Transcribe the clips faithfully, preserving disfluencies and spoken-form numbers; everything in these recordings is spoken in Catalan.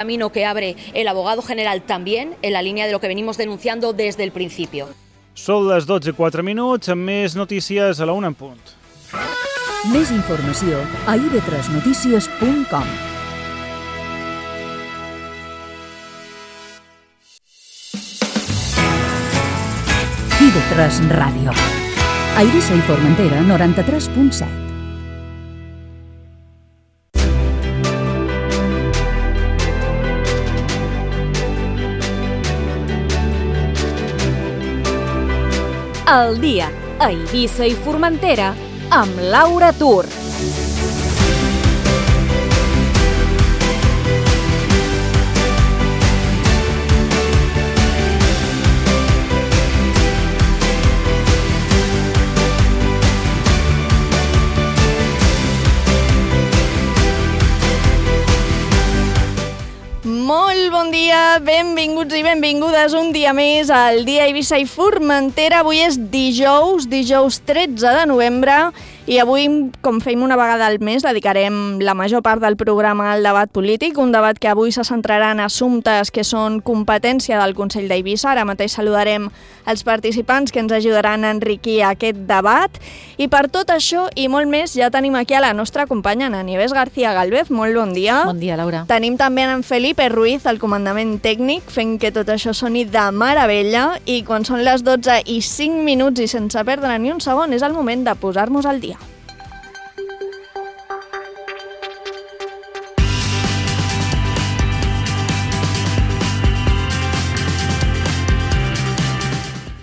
Camino que abre el abogado general también, en la línea de lo que venimos denunciando desde el principio. Són les dotze i quatre minuts, amb més notícies a la una en punt. Més informació a i ve tres notícies punt com. i ve tres Ràdio. A Eivissa i Formentera, noranta-tres punt set. El dia a Eivissa i Formentera amb Laura Tur. Molt bon dia, benvinguts i benvingudes un dia més al dia Eivissa i Formentera. Avui és dijous, dijous tretze de novembre, i avui, com fem una vegada al mes, dedicarem la major part del programa al debat polític, un debat que avui se centrarà en assumptes que són competència del Consell d'Eivissa. Ara mateix saludarem els participants que ens ajudaran a enriquir aquest debat, i per tot això i molt més ja tenim aquí a la nostra companya, Ana Nieves García Galvez. Molt bon dia. Bon dia, Laura. Tenim també en Felipe Ruiz, el comandament tècnic, fent que tot això soni de meravella, i quan són les dotze i cinc minuts i sense perdre ni un segon és el moment de posar-nos al dia.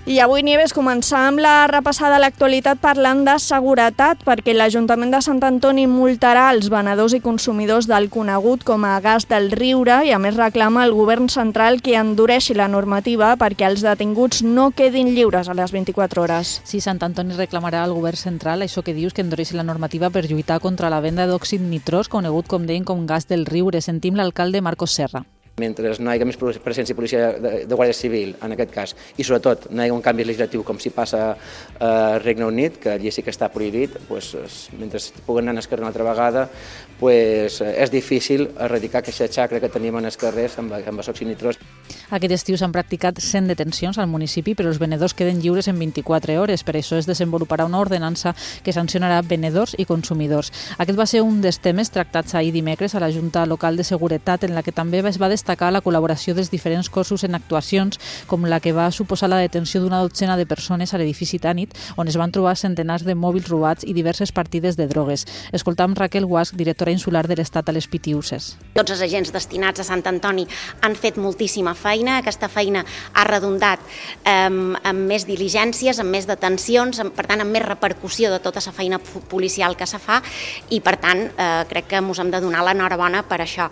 I avui, Nieves, començar amb la repassada de l'actualitat parlant de seguretat, perquè l'Ajuntament de Sant Antoni multarà els venedors i consumidors del conegut com a gas del Riure, i a més reclama al govern central que endureixi la normativa perquè els detinguts no quedin lliures a les vint-i-quatre hores. Sí, Sant Antoni reclamarà al govern central això que dius, que endureixi la normativa per lluitar contra la venda d'òxid nitrós, conegut, com deien, com gas del Riure. Sentim l'alcalde Marcos Serra. Mentre no hi hagi més presència i policia de, de Guàrdia Civil, en aquest cas, i sobretot no hi hagi un canvi legislatiu com si passa a Regne Unit, que allí sí que està prohibit, pues, mentre puguen anar als carrers una altra vegada, pues, és difícil erradicar aquesta xacra que tenim als carrers amb, amb els òxids nitrós. Aquest estiu s'han practicat cent detencions al municipi, però els venedors queden lliures en vint-i-quatre hores. Per això es desenvoluparà una ordenança que sancionarà venedors i consumidors. Aquest va ser un dels temes tractats ahir dimecres a la Junta Local de Seguretat, en la que també es va destacar la col·laboració dels diferents cossos en actuacions, com la que va suposar la detenció d'una dotzena de persones a l'edifici Tànit, on es van trobar centenars de mòbils robats i diverses partides de drogues. Escoltam Raquel Guasch, directora insular de l'Estat a les Pitiüses. Tots els agents destinats a Sant Antoni han fet moltíssima feina. Aquesta feina ha redundat eh, amb més diligències, amb més detencions, amb, per tant, amb més repercussió de tota la feina policial que se fa, i, per tant, eh, crec que ens hem de donar l'enhorabona per això.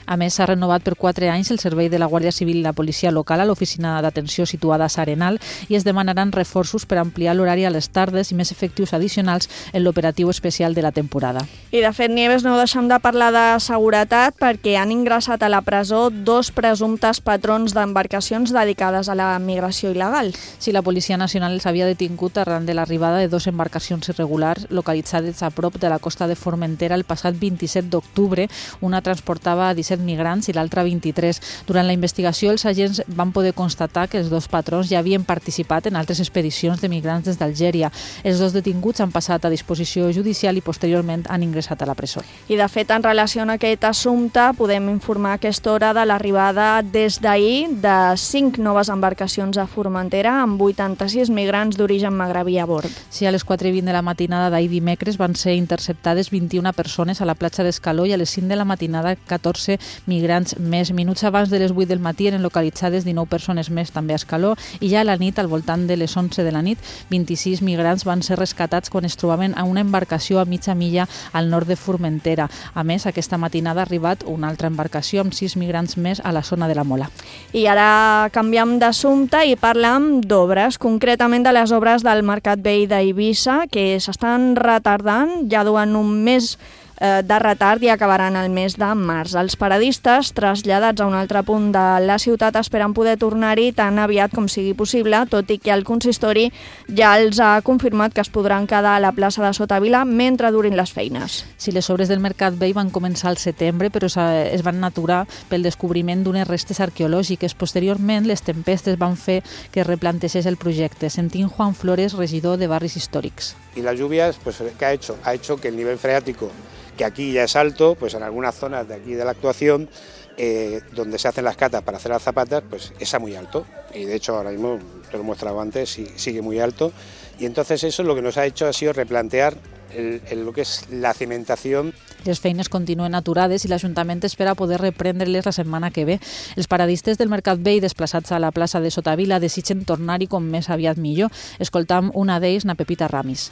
A més, s'ha renovat per quatre anys el servei de la Guàrdia Civil i la policia local a l'oficina d'atenció situada a S'Arenal, i es demanaran reforços per ampliar l'horari a les tardes i més efectius addicionals en l'operatiu especial de la temporada. I de fet, Nieves, no deixem de parlar de seguretat, perquè han ingressat a la presó dos presumptes patrons d'embarcacions dedicades a la migració il·legal. Sí, la Policia Nacional els havia detingut arran de l'arribada de dos embarcacions irregulars localitzades a prop de la costa de Formentera el passat vint-i-set d'octubre. Una transportava disset migrants i l'altra vint-i-tres. Durant la investigació, els agents van poder constatar que els dos patrons ja havien participat en altres expedicions de migrants des d'Algèria. Els dos detinguts han passat a disposició judicial i posteriorment han ingressat a la presó. I de fet, en relació amb aquest assumpte, podem informar a aquesta hora de l'arribada des d'ahir de cinc noves embarcacions a Formentera amb vuitanta-sis migrants d'origen magrebí a bord. Sí, a les quatre i vint de la matinada d'ahir dimecres van ser interceptades vint-i-una persones a la platja d'Escaló, i a les cinc de la matinada catorze migrants més. Minuts abans de les vuit del matí eren localitzades dinou persones més també a Escaló, i ja a la nit, al voltant de les onze de la nit, vint-i-sis migrants van ser rescatats quan es trobaven a una embarcació a mitja milla al nord de Formentera. A més, aquesta matinada ha arribat una altra embarcació amb sis migrants més a la zona de la Mola. I ara canviem d'assumpte i parlem d'obres, concretament de les obres del Mercat Vell d'Eivissa, que s'estan retardant, ja duen un mes de retard i acabaran el mes de març. Els paradistes, traslladats a un altre punt de la ciutat, esperen poder tornar-hi tan aviat com sigui possible, tot i que el consistori ja els ha confirmat que es podran quedar a la plaça de Sotavila mentre durin les feines. Sí, les obres del Mercat Vell van començar al setembre, però es van aturar pel descobriment d'unes restes arqueològiques. Posteriorment, les tempestes van fer que es replanteixés el projecte. Sentim Juan Flores, regidor de Barris Històrics. Y las lluvias, pues, ¿qué ha hecho? Ha hecho que el nivel freático, que aquí ya es alto, pues en algunas zonas de aquí de la actuación, eh, donde se hacen las catas para hacer las zapatas, pues está muy alto. Y de hecho ahora mismo, te lo he mostrado antes, sigue muy alto. Y entonces eso lo que nos ha hecho ha sido replantear el, el, lo que es la cimentación. Les feines continuen aturades i l'Ajuntament espera poder reprendre-les la setmana que ve. Els paradistes del Mercat Vell desplaçats a la plaça de Sotavila desitgen tornar-hi com més aviat millor. Escoltam una d'ells, na Pepita Ramis.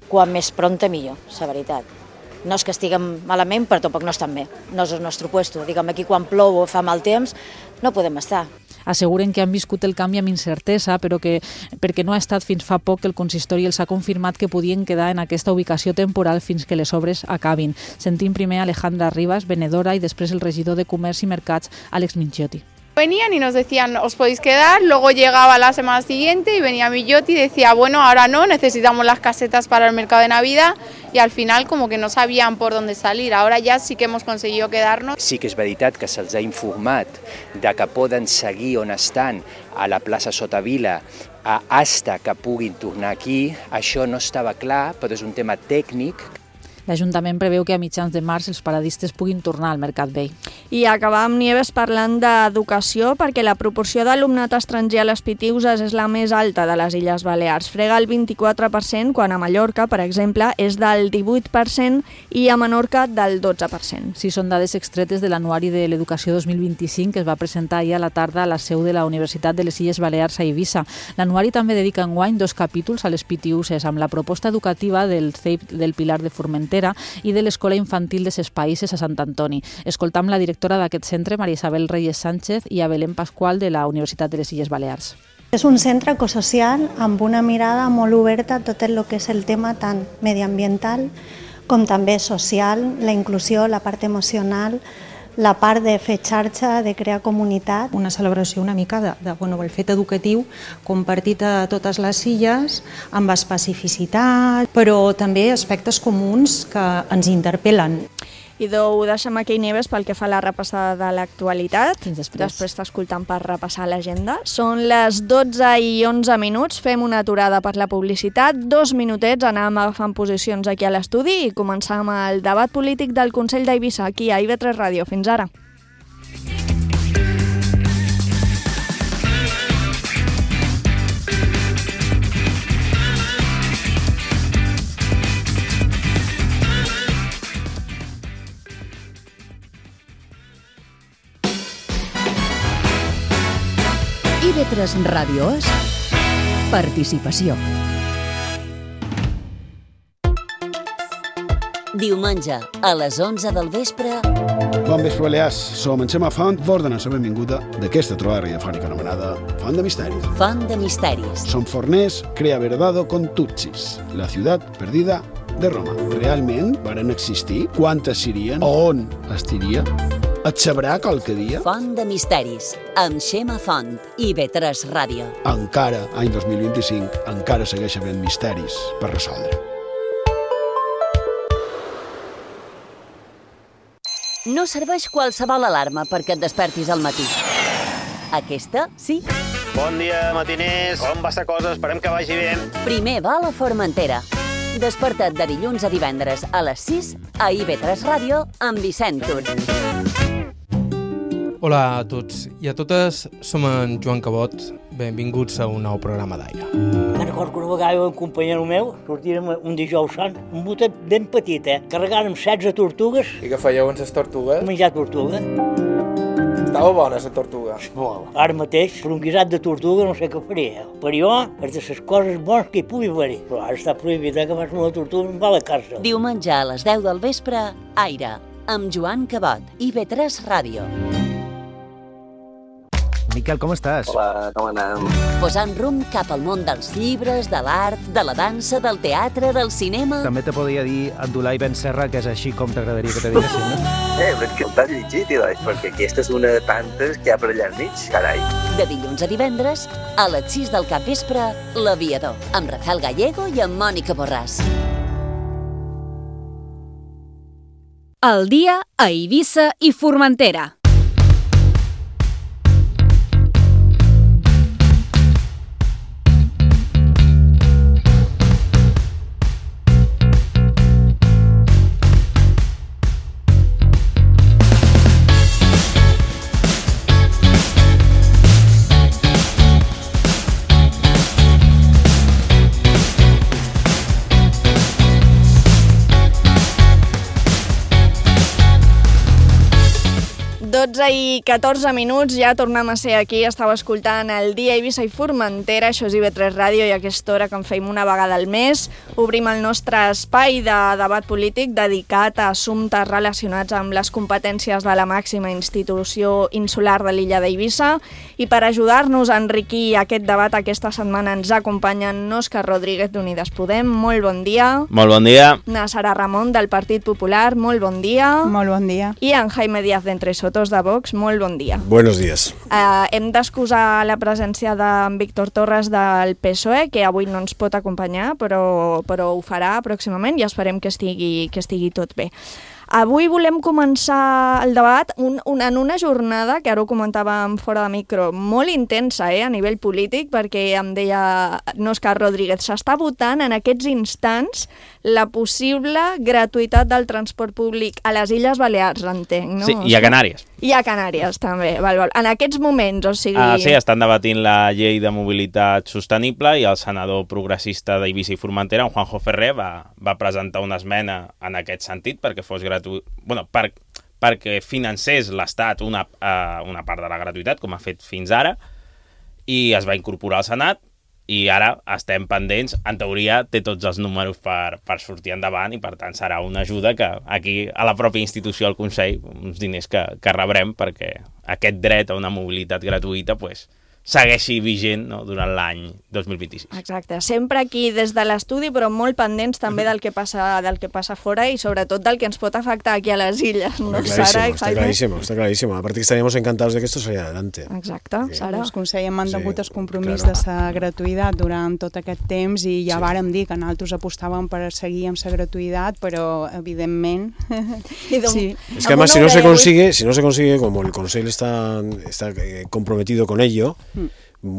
Quan més pronta millor, la veritat. No és que estiguem malament, però tampoc no estem bé. No és el nostre puesto. Diguem, aquí quan plou o fa mal temps, no podem estar. Asseguren que han viscut el canvi amb incertesa, però que perquè no ha estat fins fa poc que el consistori els ha confirmat que podien quedar en aquesta ubicació temporal fins que les obres acabin. Sentim primer Alejandra Rivas, venedora, i després el regidor de Comerç i Mercats, Àlex Minchiotti. Venían y nos decían, os podéis quedar, luego llegaba la semana siguiente y venía Millotti y decía, bueno, ahora no, necesitamos las casetas para el mercado de Navidad, y al final como que no sabían por dónde salir. Ahora ya sí que hemos conseguido quedarnos. Sí que és veritat que se'ls ha informat de que poden seguir on estan a la plaça Sotavila hasta que puguin tornar aquí. Això no estava clar, però és un tema tècnic. L'Ajuntament preveu que a mitjans de març els paradistes puguin tornar al Mercat Vell. I acabar amb Nieves parlant d'educació, perquè la proporció d'alumnat estranger a les Pitiüses és la més alta de les Illes Balears. Frega el vint-i-quatre per cent, quan a Mallorca, per exemple, és del divuit per cent i a Menorca del dotze per cent. Sí, són dades extretes de l'Anuari de l'Educació dos mil vint-i-cinc que es va presentar ahir a la tarda a la seu de la Universitat de les Illes Balears a Eivissa. L'Anuari també dedica enguany dos capítols a les Pitiüses, amb la proposta educativa del C E I P del Pilar de Formentera i de l'Escola Infantil de Ses Païses a Sant Antoni. Escoltam la directora d'aquest centre, Maria Isabel Reyes Sánchez, i a Belén Pasqual de la Universitat de les Illes Balears. És un centre ecosocial amb una mirada molt oberta a tot el que és el tema tant mediambiental com també social, la inclusió, la part emocional, la part de fer xarxa, de crear comunitat. Una celebració una mica de, de bueno, el fet educatiu compartit a totes les illes amb especificitat, però també aspectes comuns que ens interpel·len. I ho deixem aquí, Nieves, pel que fa a la repassada de l'actualitat. Fins després. Després t'escoltam per repassar l'agenda. Són les dotze i onze minuts, fem una aturada per la publicitat, dos minutets, anàvem agafant posicions aquí a l'estudi i començam el debat polític del Consell d'Eivissa, aquí a I V tres Ràdio. Fins ara. I V tres Ràdio és participació. Diumenge, a les onze del vespre... Bon vespre, Balears. Som en Xema Font, vos donem la benvinguda d'aquesta trobada radiofònica anomenada Font de Misteris. Font de Misteris. Som forners, crea verdado con Tutsis, la ciutat perdida de Roma. Realment varen existir? Quantes serien? On estiria? Et sabrà qualque dia? Font de Misteris, amb Xema Font, I V tres Ràdio. Encara, any dos mil vint-i-cinc, encara segueix havent misteris per resoldre. No serveix qualsevol alarma perquè et despertis al matí. Aquesta, sí. Bon dia, matiners. Com va esta cosa? Esperem que vagi bé. Primer va a la Formentera. Desperta't de dilluns a divendres a les sis a I V tres Ràdio amb Vicent Tur. Hola a tots i a totes, som en Joan Cabot, benvinguts a un nou programa d'aire. Me'n recordo que una vegada un companyero meu sortíem un dijous sant, un botet ben petit, eh? Carregàrem setze tortugues. I què fèieu amb les tortugues? Menjar tortuga. Estava bona la tortuga. Molt. Ara mateix, per un guisat de tortuga no sé què faria. Per jo, és de les coses bones que hi pugui haver. Però ara està prohibit, eh, que fas una tortuga em va a la càrcel. Diumenge a les deu del vespre, Aire, amb Joan Cabot, I V tres Ràdio. Miquel, com estàs? Hola, com anem? Posant rumb cap al món dels llibres, de l'art, de la dansa, del teatre, del cinema... També te podria dir Abdullah Ben Serra, que és així com t'agradaria que te diguessin, no? Eh, però és que el t'has llegit, Ilai, perquè aquesta és una de tantes que hi ha per allà al mig, carai. De dilluns a divendres, a les sis del capvespre, L'Aviador, amb Rafael Gallego i amb Mònica Borràs. El dia a Eivissa i Formentera. dotze i catorze minuts, ja tornem a ser aquí. Estava escoltant el Dia Eivissa i Formentera, això és I V tres Ràdio, i a aquesta hora que en feim una vegada al mes obrim el nostre espai de debat polític dedicat a assumptes relacionats amb les competències de la màxima institució insular de l'illa d'Eivissa. I per ajudar-nos a enriquir aquest debat aquesta setmana ens acompanyen Òscar Rodríguez d'Unides Podem, molt bon dia. Molt bon dia. Na Sara Ramon del Partit Popular, molt bon dia. Molt bon dia. I en Jaime Díaz d'Entre Sotos de Vox, molt bon dia. Buenos días. Uh, hem d'excusar la presència d'en Víctor Torres del P S O E, que avui no ens pot acompanyar, però, però ho farà pròximament i esperem que estigui, que estigui tot bé. Avui volem començar el debat un, un, en una jornada, que ara ho comentàvem fora de micro, molt intensa eh, a nivell polític, perquè em deia Òscar Rodríguez, s'està votant en aquests instants la possible gratuïtat del transport públic a les Illes Balears, entenc, no? Sí, i a Canàries. I a Canàries, també. Val, val. En aquests moments, o sigui... Ah, sí, estan debatint la llei de mobilitat sostenible i el senador progressista d'Eivissa i Formentera, en Juanjo Ferrer, va, va presentar una esmena en aquest sentit perquè fos gratuït, bueno, per, perquè financés l'Estat una, uh, una part de la gratuïtat, com ha fet fins ara, i es va incorporar al Senat, i ara estem pendents, en teoria té tots els números per, per sortir endavant i per tant serà una ajuda que aquí a la pròpia institució, al Consell, uns diners que, que rebrem perquè aquest dret a una mobilitat gratuïta pues, segueixi vigent no, durant l'any dos mil vint-i-sis. Exacte, sempre aquí des de l'estudi, però molt pendents també del que passa del que passa fora y sobretot del que ens pot afectar aquí a les illes, ¿no? Clarísimo, Sara, está clarísimo, está clarísimo. Aparte que estaríamos encantados de que esto saliera adelante. Exacte, sí. Sara. Els Consell hem mantingut Sí, el compromís claro. de la gratuïtat durant tot aquest temps i ja Sí. vàrem dir que nosaltres apostàvem per seguir amb la gratuïtat, però evidentment... sí. Es que además si no se consigue, si no se consigue, como el Consejo está, está eh, comprometido con ello, Mm.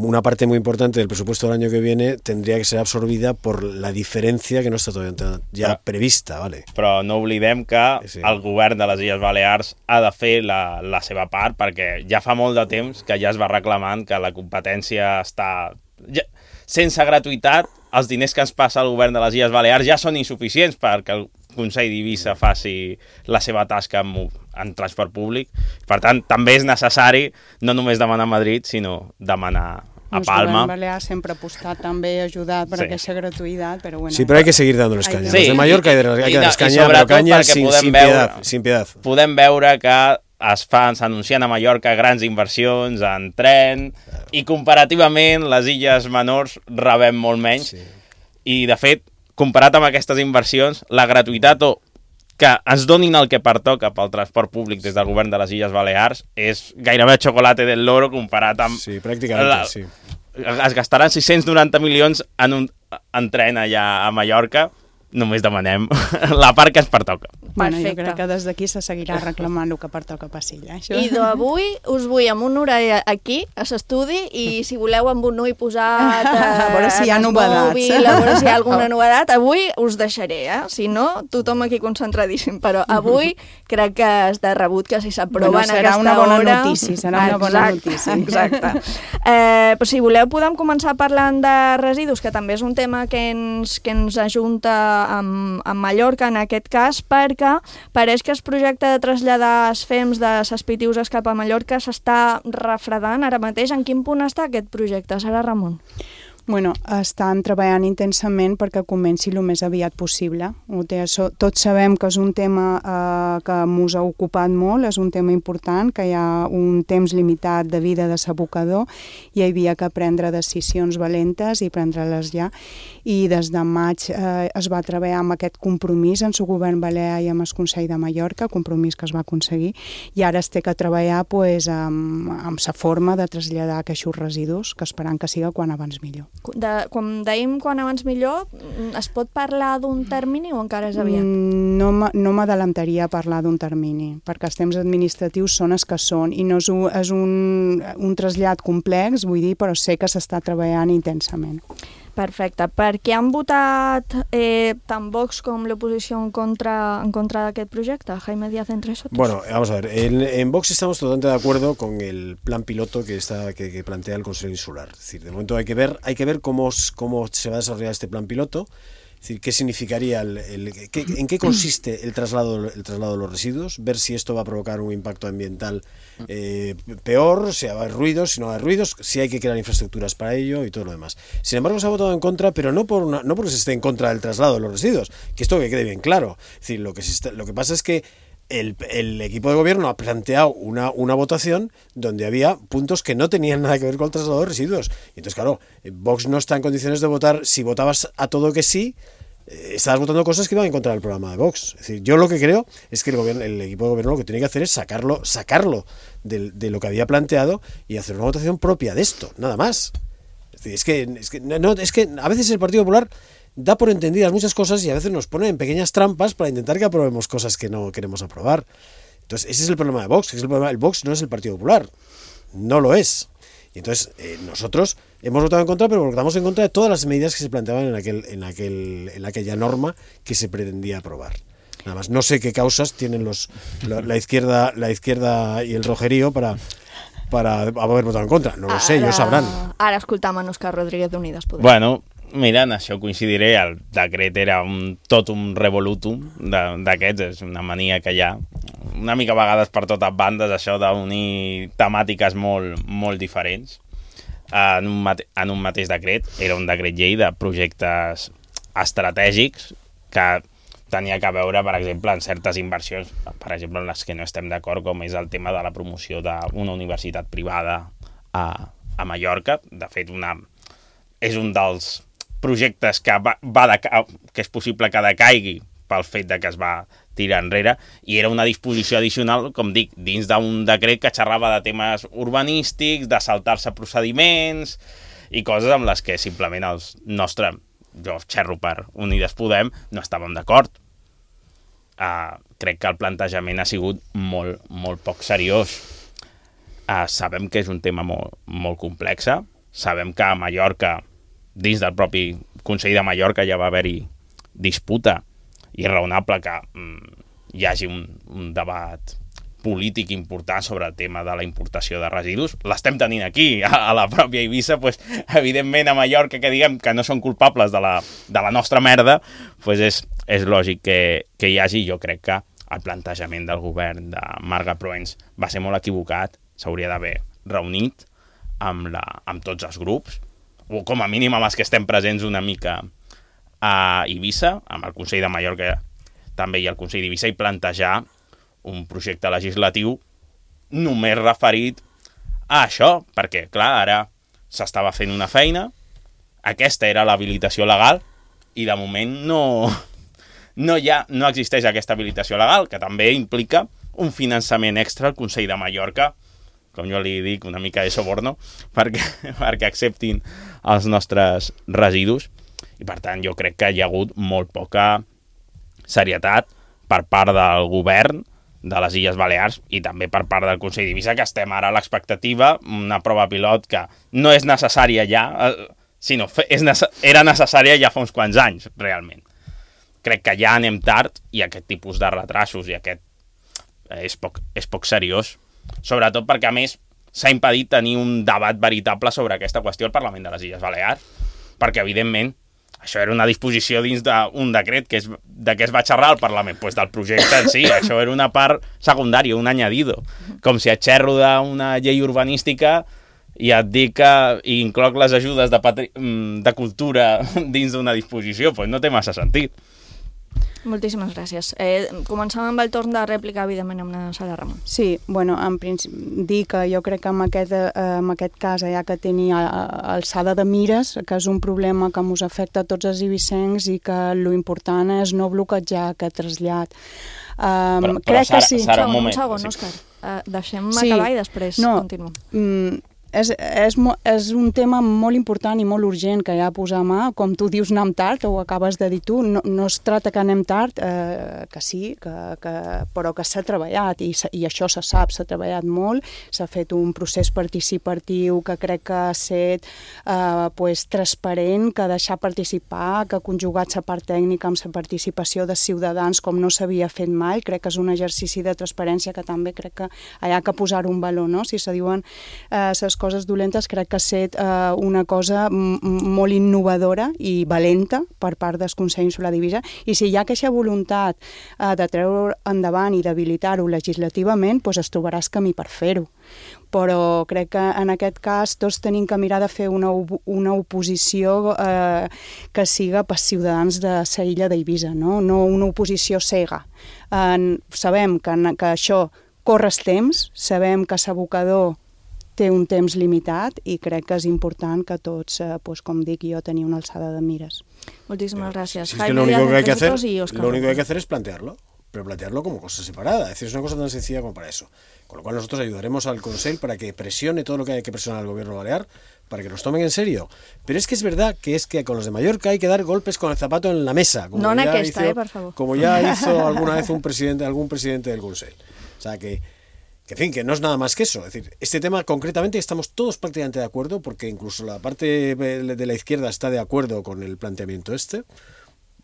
una parte muy importante del presupuesto del año que viene tendría que ser absorbida por la diferencia que no está todavía ya Però- prevista, ¿vale? Però no oblidem que Sí. el govern de les Illes Balears ha de fer la, la seva part perquè ja fa molt de temps que ja es va reclamant que la competència està... Ja, sense gratuïtat, els diners que ens passa el govern de les Illes Balears ja són insuficients perquè el Consell d'Eivissa faci la seva tasca en, en transport públic. Per tant, també és necessari no només demanar a Madrid, sinó demanar a El Palma. govern balear sempre ha apostat també a ajudar per Sí. aquesta gratuïtat, però bueno... Sí, pero hay que seguir dándoles caña. Sí, Los de Mallorca hay, de, hay que darles caña, pero caña sin, sin piedad, sin piedad. Podem veure que es fan, s'anuncien a Mallorca grans inversions en tren i comparativament les illes menors rebem molt menys. Sí. I, de fet, comparat amb aquestes inversions, la gratuïtat o que ens donin el que pertoca pel transport públic des del govern de les Illes Balears és gairebé xocolate del loro comparat amb... Sí, pràcticament, la, sí. Es gastaran sis-cents noranta milions en un en tren allà a Mallorca. Només demanem la part que ens pertoca. Bueno, jo Perfecte. crec que des d'aquí se seguirà reclamant el que pertoca per Silla. Això. I d'avui us vull amb un orella aquí, a l'estudi, i si voleu amb un ull posat A veure si hi ha en el novedats. mòbil, a veure si hi ha alguna novedat, avui us deixaré, eh? Si no, tothom aquí concentradíssim, però avui crec que és de rebut que si s'aprova Bueno, en serà aquesta una bona hora... notícia, serà una bona notícia. Exacte. Eh, però si voleu podem començar parlant de residus, que també és un tema que ens, que ens ajunta amb, amb Mallorca en aquest cas, perquè pareix que el projecte de traslladar els fems de les Pitiuses cap a Mallorca s'està refredant ara mateix. En quin punt està aquest projecte, Sara Ramon? Bueno, estan treballant intensament perquè comenci el més aviat possible. Tots sabem que és un tema eh, que ens ha ocupat molt, és un tema important, que hi ha un temps limitat de vida de l'abocador i hi havia que prendre decisions valentes i prendre-les ja. I des de maig eh, es va treballar amb aquest compromís en el govern balear i amb el Consell de Mallorca, compromís que es va aconseguir, i ara es té que treballar pues, amb, amb la forma de traslladar aquests residus, que esperant que siga quan abans millor. De, com dèiem, quan abans millor, es pot parlar d'un termini o encara és aviat? No, no m'adelantaria a parlar d'un termini, perquè els temps administratius són els que són i no és un, és un, un trasllat complex, vull dir, però sé que s'està treballant intensament. Perfecte. Per què han votat eh, tant Vox com l'oposició en contra, en contra d'aquest projecte? Jaime Díaz, entre nosotros. Bueno, vamos a ver. En, en Vox estamos totalmente de acuerdo con el plan piloto que, está, que, que plantea el Consejo Insular. Es decir, de momento hay que ver, hay que ver cómo, cómo se va a desarrollar este plan piloto. Es decir, qué significaría, el, el, qué, en qué consiste el traslado, el traslado de los residuos, ver si esto va a provocar un impacto ambiental eh, peor, si va a haber ruidos, si no va a haber ruidos, si hay que crear infraestructuras para ello y todo lo demás. Sin embargo, se ha votado en contra, pero no, por una, no porque se esté en contra del traslado de los residuos, que esto que quede bien claro. Es decir, lo que, se está, lo que pasa es que El, el equipo de gobierno ha planteado una, una votación donde había puntos que no tenían nada que ver con el traslado de residuos. Y entonces, claro, Vox no está en condiciones de votar. Si votabas a todo que sí, eh, estabas votando cosas que iban en contra del programa de Vox. Es decir, yo lo que creo es que el, gobierno, el equipo de gobierno lo que tiene que hacer es sacarlo, sacarlo de, de lo que había planteado y hacer una votación propia de esto, nada más. Es decir, es que, es que, no, es que a veces el Partido Popular da por entendidas muchas cosas y a veces nos pone en pequeñas trampas para intentar que aprobemos cosas que no queremos aprobar. Entonces, ese es el problema de Vox, que es el problema. El Vox no es el Partido Popular, no lo es. Y entonces, eh, nosotros hemos votado en contra, pero votamos en contra de todas las medidas que se planteaban en, aquel, en, aquel, en aquella norma que se pretendía aprobar. Nada más, no sé qué causas tienen los la, la izquierda la izquierda y el rojerío para... para haver votat en contra. No lo sé, ara, ellos sabrán. Ara escoltam en Òscar Rodríguez d'Unides Podem. Bueno, mira, en això coincidiré, el decret era un, tot un revolutum d'aquests, és una mania que hi ha, una mica a vegades per totes bandes, això d'unir temàtiques molt, molt diferents en un, mate, en un mateix decret. Era un decret llei de projectes estratègics que tenia que veure, per exemple, en certes inversions, per exemple, en les que no estem d'acord, com és el tema de la promoció d'una universitat privada a, a Mallorca. De fet, una, és un dels projectes que, va, va de, que és possible que decaigui pel fet de que es va tirar enrere, i era una disposició addicional, com dic, dins d'un decret que xerrava de temes urbanístics, de saltar-se procediments i coses amb les que simplement els nostres, jo xerro per Unides Podem, no estàvem d'acord. Uh, crec que el plantejament ha sigut molt, molt poc seriós. Uh, sabem que és un tema molt, molt complex, sabem que a Mallorca, dins del propi Consell de Mallorca, ja va haver-hi disputa, i és raonable que um, hi hagi un, un debat polític important sobre el tema de la importació de residus. L'estem tenint aquí, a, a la pròpia Eivissa, pues, evidentment a Mallorca, que diguem que no són culpables de la, de la nostra merda, pues és, és lògic que, que hi hagi. Jo crec que el plantejament del govern de Marga Proens va ser molt equivocat, s'hauria d'haver reunit amb, la, amb tots els grups, o com a mínim amb els que estem presents una mica a Eivissa, amb el Consell de Mallorca també i el Consell d'Eivissa, i plantejar un projecte legislatiu només referit a això, perquè, clar, ara s'estava fent una feina, aquesta era l'habilitació legal, i de moment no, no, hi ha, no existeix aquesta habilitació legal, que també implica un finançament extra al Consell de Mallorca, com jo li dic, una mica de soborno, perquè, perquè acceptin els nostres residus, i per tant jo crec que hi ha hagut molt poca serietat per part del govern de les Illes Balears i també per part del Consell d'Eivissa, que estem ara a l'expectativa, una prova pilot que no és necessària ja, sinó és nece- era necessària ja fa uns quants anys, realment. Crec que ja anem tard i aquest tipus de retrasos i aquest és poc, és poc seriós, sobretot perquè, a més, s'ha impedit tenir un debat veritable sobre aquesta qüestió al Parlament de les Illes Balears, perquè, evidentment, això era una disposició dins d'un decret que és, de què es va xerrar al Parlament, pues del projecte en si. Això era una part secundària, un añadido. Com si a xerro d'una llei urbanística i et dic que incloc les ajudes de, patri... de cultura dins d'una disposició, doncs no té massa sentit. Moltíssimes gràcies. Eh, començam amb el torn de rèplica, evidentment, amb la Sara Ramon. Sí, bueno, en principi, dir que jo crec que en aquest, eh, en aquest cas hi ha que tenir alçada de mires, que és un problema que ens afecta a tots els ibicencs i que lo important és no bloquejar aquest trasllat. Um, però, però crec Sara, que sí. Sara, un Un moment. segon, Sí. Òscar. Uh, deixem Sí. acabar i després No, continuem. Mm, és, és, mo- és un tema molt important i molt urgent que hi ha a posar a mà, com tu dius anem tard, o ho acabes de dir tu, no, no es tracta que anem tard, eh, que sí, que, que, però que s'ha treballat, i, s'ha- i això se sap, s'ha treballat molt, s'ha fet un procés participatiu que crec que ha estat eh, pues, transparent, que deixar participar, que ha conjugat la part tècnica amb la participació de ciutadans com no s'havia fet mai, crec que és un exercici de transparència que també crec que hi ha que posar un valor, no? Si se diuen les eh, coses dolentes, crec que ha estat eh, una cosa m- m- molt innovadora i valenta per part del Consell Insular d'Eivissa, i si hi ha aquesta voluntat eh, de treure endavant i d'habilitar-ho legislativament, doncs es trobaràs camí per fer-ho. Però crec que en aquest cas tots tenim que mirar de fer una, op- una oposició eh, que siga per ciutadans de la illa d'Eivissa, no? No una oposició cega. Eh, sabem que, que això corre el temps, sabem que l'abocador té un temps limitat i crec que és important que tots, eh, pues, com dic jo, tenir una alçada de mires. Muchísimas gracias. Si es que Jaime lo único Díaz, que hay que hacer, minutos y Óscar lo único que hay que Ramón. hacer es plantearlo, pero plantearlo como cosa separada. Es decir, es una cosa tan sencilla como para eso. Con lo cual nosotros ayudaremos al Consell para que presione todo lo que hay que presionar al gobierno balear para que nos tomen en serio. Pero es que es verdad que es que con los de Mallorca hay que dar golpes con el zapato en la mesa, como No en ya aquesta, hizo, eh, por favor. como ya hizo alguna vez un presidente, algún presidente del Consell. O sea que Que, en fin, que no es nada más que eso. Es decir, este tema concretamente estamos todos prácticamente de acuerdo, porque incluso la parte de la izquierda está de acuerdo con el planteamiento este.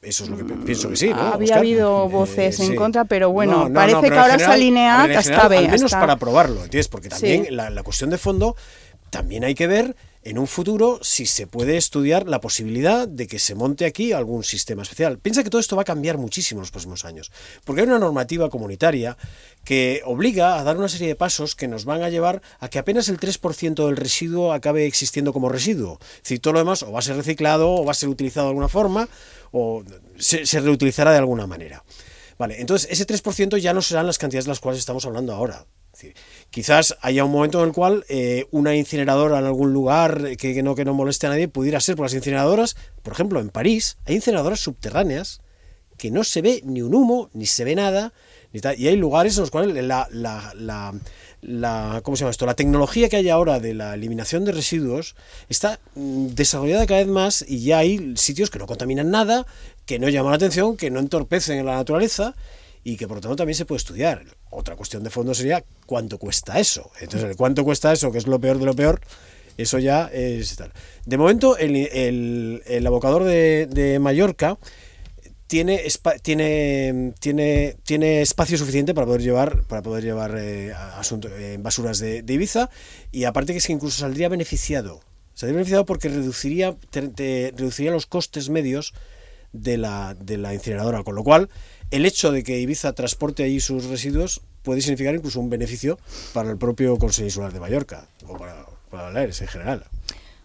Eso es lo que pe- pienso que sí, ¿no? Había Óscar? habido voces Eh, en sí. contra, pero bueno, No, no, parece no, que pero en ahora se general- alinea a ver, que en está general, bien. Al menos está- para probarlo, ¿entiendes? Porque también Sí. la, la cuestión de fondo, también hay que ver en un futuro si se puede estudiar la posibilidad de que se monte aquí algún sistema especial. Piensa que todo esto va a cambiar muchísimo en los próximos años, porque hay una normativa comunitaria que obliga a dar una serie de pasos que nos van a llevar a que apenas el tres por ciento del residuo acabe existiendo como residuo. Es decir, todo lo demás o va a ser reciclado o va a ser utilizado de alguna forma o se, se reutilizará de alguna manera. Vale, entonces ese tres por ciento ya no serán las cantidades de las cuales estamos hablando ahora. Es decir, quizás haya un momento en el cual eh, una incineradora en algún lugar que, que no, que no moleste a nadie pudiera ser, por las incineradoras, por ejemplo, en París hay incineradoras subterráneas que no se ve ni un humo, ni se ve nada, ni tal, y hay lugares en los cuales la, la, la, la, ¿cómo se llama esto? La tecnología que hay ahora de la eliminación de residuos está mm, desarrollada cada vez más y ya hay sitios que no contaminan nada, que no llaman la atención, que no entorpecen la naturaleza y que por lo tanto también se puede estudiar. Otra cuestión de fondo sería cuánto cuesta eso. Entonces, el cuánto cuesta eso, que es lo peor de lo peor, eso ya es tal. De momento, el, el, el abocador de, de Mallorca tiene, espa- tiene, tiene, tiene espacio suficiente para poder llevar, para poder llevar eh, asunto, eh, basuras de, de Ibiza, y aparte que es que incluso saldría beneficiado. Saldría beneficiado porque reduciría, te, te- reduciría los costes medios de la, de la incineradora, con lo cual el hecho de que Ibiza transporte allí sus residuos puede significar incluso un beneficio para el propio Consell Insular de Mallorca o para, para Baleares en general.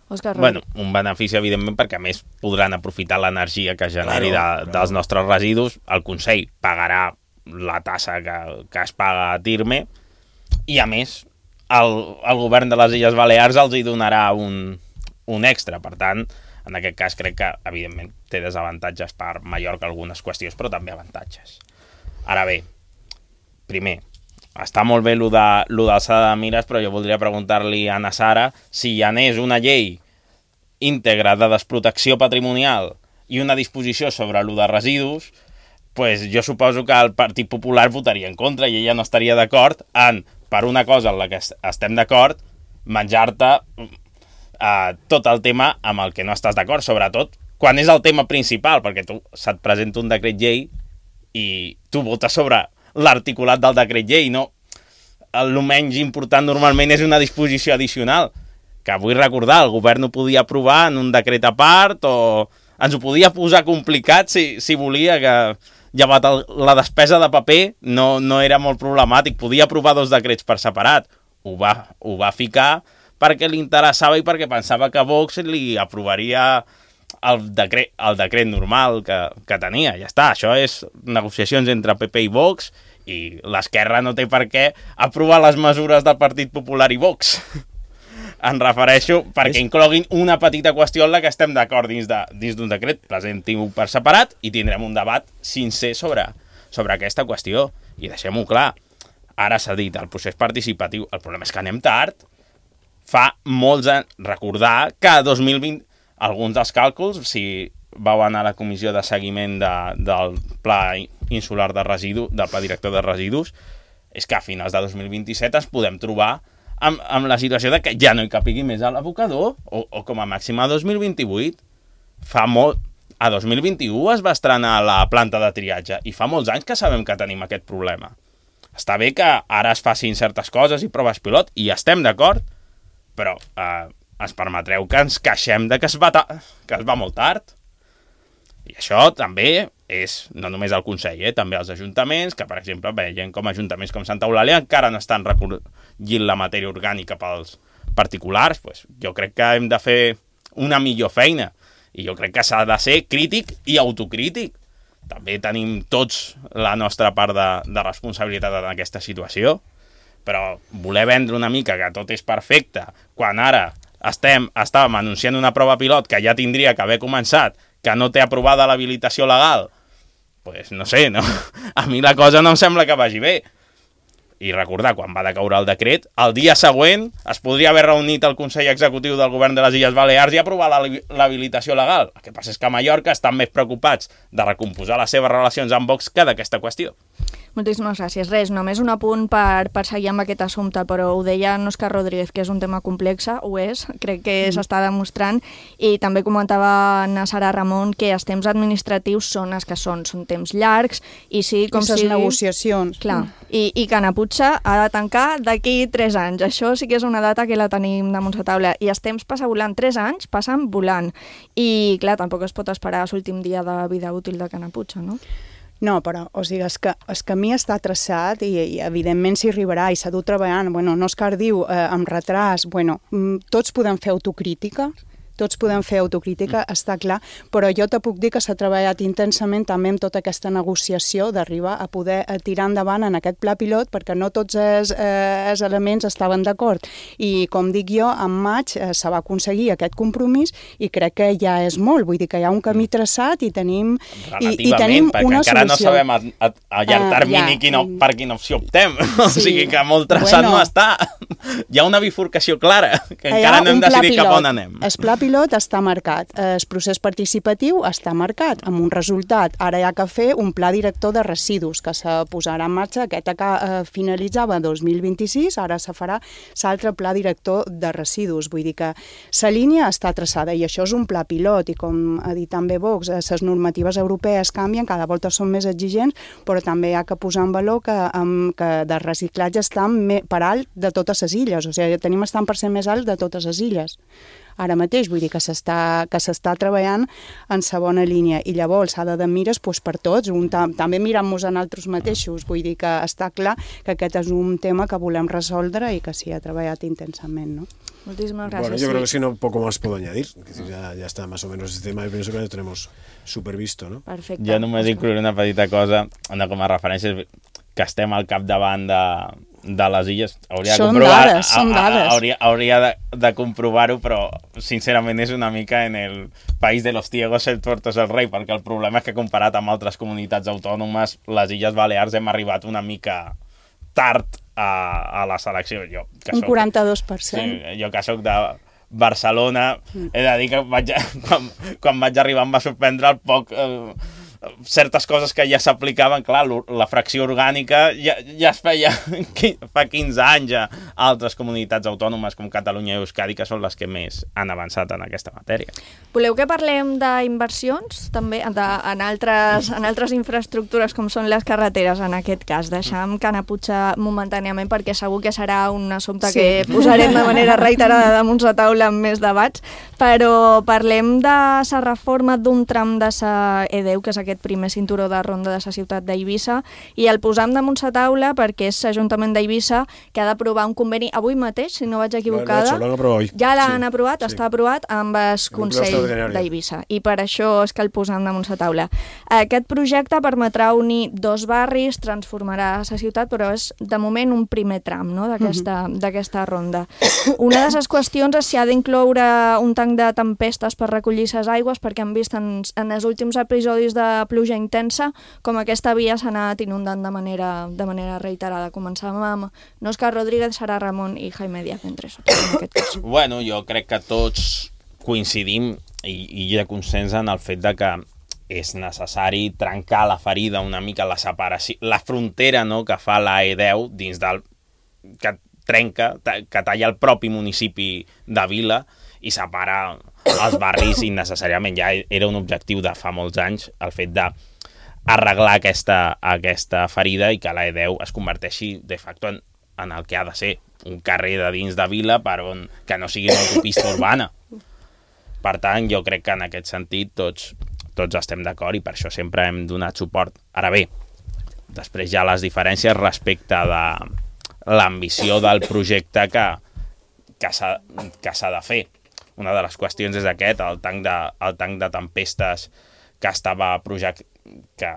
Òscar Bueno, un benefici, evidentment, perquè a més podran aprofitar l'energia que generi Claro, de, dels nostres residus. El Consell pagarà la tassa que, que es paga a Tirme i, a més, el, el govern de les Illes Balears els hi donarà un, un extra. Per tant, en aquest cas crec que, evidentment, té desavantatges per Mallorca algunes qüestions, però també avantatges. Ara bé, primer, està molt bé lo de, lo d'alçada de mires, però jo voldria preguntar-li a na Sara si hi anés una llei íntegra de desprotecció patrimonial i una disposició sobre lo de residus, pues jo suposo que el Partit Popular votaria en contra i ella no estaria d'acord en, per una cosa en la que estem d'acord, menjar-te eh, tot el tema amb el que no estàs d'acord, sobretot quan és el tema principal, perquè tu se't presenta un decret llei i tu votes sobre l'articulat del decret llei, no? El menys important normalment és una disposició addicional, que vull recordar, el govern ho podia aprovar en un decret a part o ens ho podia posar complicat si, si volia, que llevat el, la despesa de paper no, no era molt problemàtic, podia aprovar dos decrets per separat, ho va, ho va ficar perquè li interessava i perquè pensava que Vox li aprovaria el decret, el decret normal que, que tenia. Ja està, això és negociacions entre P P i Vox i l'esquerra no té per què aprovar les mesures del Partit Popular i Vox. Em refereixo perquè incloguin una petita qüestió en la que estem d'acord dins d'un de, dins decret, presentin-ho per separat i tindrem un debat sincer sobre, sobre aquesta qüestió. I deixem-ho clar, ara s'ha dit el procés participatiu, el problema és que anem tard. Fa molts anys, recordar que a dos mil vint, alguns dels càlculs, si vau anar a la comissió de seguiment de, del Pla Insular de Residus, del Pla Director de Residus, és que a finals de dos mil vint-i-set ens podem trobar amb, amb la situació de que ja no hi capigui més a l'abocador, o, o com a màxim a dos mil vint-i-vuit. Fa molt... A dos mil vint-i-u es va estrenar la planta de triatge i fa molts anys que sabem que tenim aquest problema. Està bé que ara es facin certes coses i proves pilot, i estem d'acord, però eh, ens permetreu que ens queixem de que es, va ta- que es va molt tard. I això també és no només el Consell, eh, també els ajuntaments, que per exemple veiem com ajuntaments com Santa Eulàlia encara no estan recollint la matèria orgànica pels particulars. Pues jo crec que hem de fer una millor feina i jo crec que s'ha de ser crític i autocrític. També tenim tots la nostra part de, de responsabilitat en aquesta situació, però voler vendre una mica que tot és perfecte quan ara estem, estàvem anunciant una prova pilot que ja tindria que haver començat, que no té aprovada l'habilitació legal, pues no sé, no? A mi la cosa no em sembla que vagi bé. I recordar, quan va decaure el decret, el dia següent es podria haver reunit el Consell Executiu del Govern de les Illes Balears i aprovar l'habilitació legal. El que passa és que a Mallorca estan més preocupats de recomposar les seves relacions amb Vox que d'aquesta qüestió. Moltíssimes gràcies. Res, només un apunt per, per seguir amb aquest assumpte, però ho deia Òscar Rodríguez, que és un tema complex, ho és, crec que s'està demostrant, i també comentava na Sara Ramon que els temps administratius són els que són, són temps llargs, i sí, com Aquestes si... negociacions. Clar, i, i que Naputxa ha de tancar d'aquí tres anys. Això sí que és una data que la tenim damunt la taula, i els temps passa volant, tres anys passen volant, i clar, tampoc es pot esperar l'últim dia de vida útil de Naputxa, no? No, però, o sigui, el, que, el camí està traçat i, i evidentment s'hi arribarà i s'ha dut treballant. Bueno, Òscar diu, eh, amb retras, bueno, tots podem fer autocrítica, tots podem fer autocrítica, mm. està clar, però jo te puc dir que s'ha treballat intensament també amb tota aquesta negociació d'arribar a poder tirar endavant en aquest pla pilot, perquè no tots els, eh, els elements estaven d'acord. I, com dic jo, en maig eh, se va aconseguir aquest compromís i crec que ja és molt, vull dir que hi ha un camí traçat i tenim, i, i tenim perquè una encara solució. no sabem a, a, a llarg termini uh, ja. quina, per quina opció optem. Sí. O sigui que molt traçat bueno, no està. Hi ha una bifurcació clara, que encara no hem decidit cap on anem. El pla pilot està marcat, el procés participatiu està marcat, amb un resultat. Ara hi ha que fer un pla director de residus, que se posarà en marxa, aquest que eh, finalitzava dos mil vint-i-sis, ara se farà l'altre pla director de residus. Vull dir que la línia està traçada i això és un pla pilot, i com ha dit també Vox, les normatives europees canvien, cada volta són més exigents, però també hi ha que posar en valor que, um, que de reciclatge estan per alt de totes les illes, o sigui, tenim estant per cent més alt de totes les illes. Ara mateix, vull dir que s'està que s'està treballant en sa bona línia, i llavors s'ha de de mires doncs, per tots, un, també mirant-nos en altres mateixos, vull dir que està clar que aquest és un tema que volem resoldre i que s'hi ha treballat intensament, ¿no? Muchísimas gracias. Bueno, yo sí. creo que si no, poco más puedo añadir, ya, ya está más o menos este tema, y pienso que lo tenemos supervisto, ¿no? Perfecte. Jo només inclouré una petita cosa, una com a referència, que estem al capdavant de, de les illes. Hauria són de comprovar, dades, són dades. Hauria, hauria de, de comprovar-ho, però sincerament és una mica en el país de los ciegos el tuerto es el rei, perquè el problema és que comparat amb altres comunitats autònomes, les Illes Balears hem arribat una mica tard a, a la selecció. Jo, que un soc, quaranta-dos per cent. Sí, jo que soc de Barcelona, mm. he de dir que vaig, quan, quan vaig arribar em va sorprendre el poc... Eh, certes coses que ja s'aplicaven, clar, la fracció orgànica ja, ja es feia fa quinze anys a altres comunitats autònomes com Catalunya i Euskadi, que són les que més han avançat en aquesta matèria. Voleu que parlem d'inversions també de, en, altres, en altres infraestructures com són les carreteres, en aquest cas? Deixem Naputxa momentàniament perquè segur que serà un assumpte sí. que posarem de manera reiterada damunt la taula amb més debats, però parlem de la reforma d'un tram de la E deu, que és aquest primer cinturó de ronda de la ciutat d'Eivissa, i el posam damunt la taula perquè és l'Ajuntament d'Eivissa que ha d'aprovar un conveni avui mateix, si no vaig equivocada. Lo, lo aprovat hoy. Ja l'han sí, aprovat, sí. està aprovat amb el Consell d'Eivissa, i per això és que el posam damunt la taula. Aquest projecte permetrà unir dos barris, transformarà la ciutat, però és de moment un primer tram, no?, d'aquesta uh-huh. d'aquesta ronda. Una de les qüestions és si ha d'incloure un tanc de tempestes per recollir les aigües, perquè han vist en, en els últims episodis de pluja intensa com aquesta via s'ha anat inundant de manera, de manera reiterada. Començàvem amb Òscar Rodríguez, Sara Ramon i Jaime Díaz Entreso, en aquest cas. Bueno, jo crec que tots coincidim i, i hi ha consens en el fet de que és necessari trencar la ferida una mica, la separació, la frontera, no?, que fa la E deu dins del... que trenca, que talla el propi municipi de Vila i separa els barris innecessàriament. Ja era un objectiu de fa molts anys el fet d'arreglar aquesta, aquesta ferida i que la E deu es converteixi de facto en, en el que ha de ser un carrer de dins de Vila per on, que no sigui una autopista urbana. Per tant, jo crec que en aquest sentit tots, tots estem d'acord i per això sempre hem donat suport. Ara bé, després hi ha les diferències respecte de l'ambició del projecte que, que s'ha de fer. Una de les qüestions és aquest, el tanc de, el tanc de tempestes que estava, project, que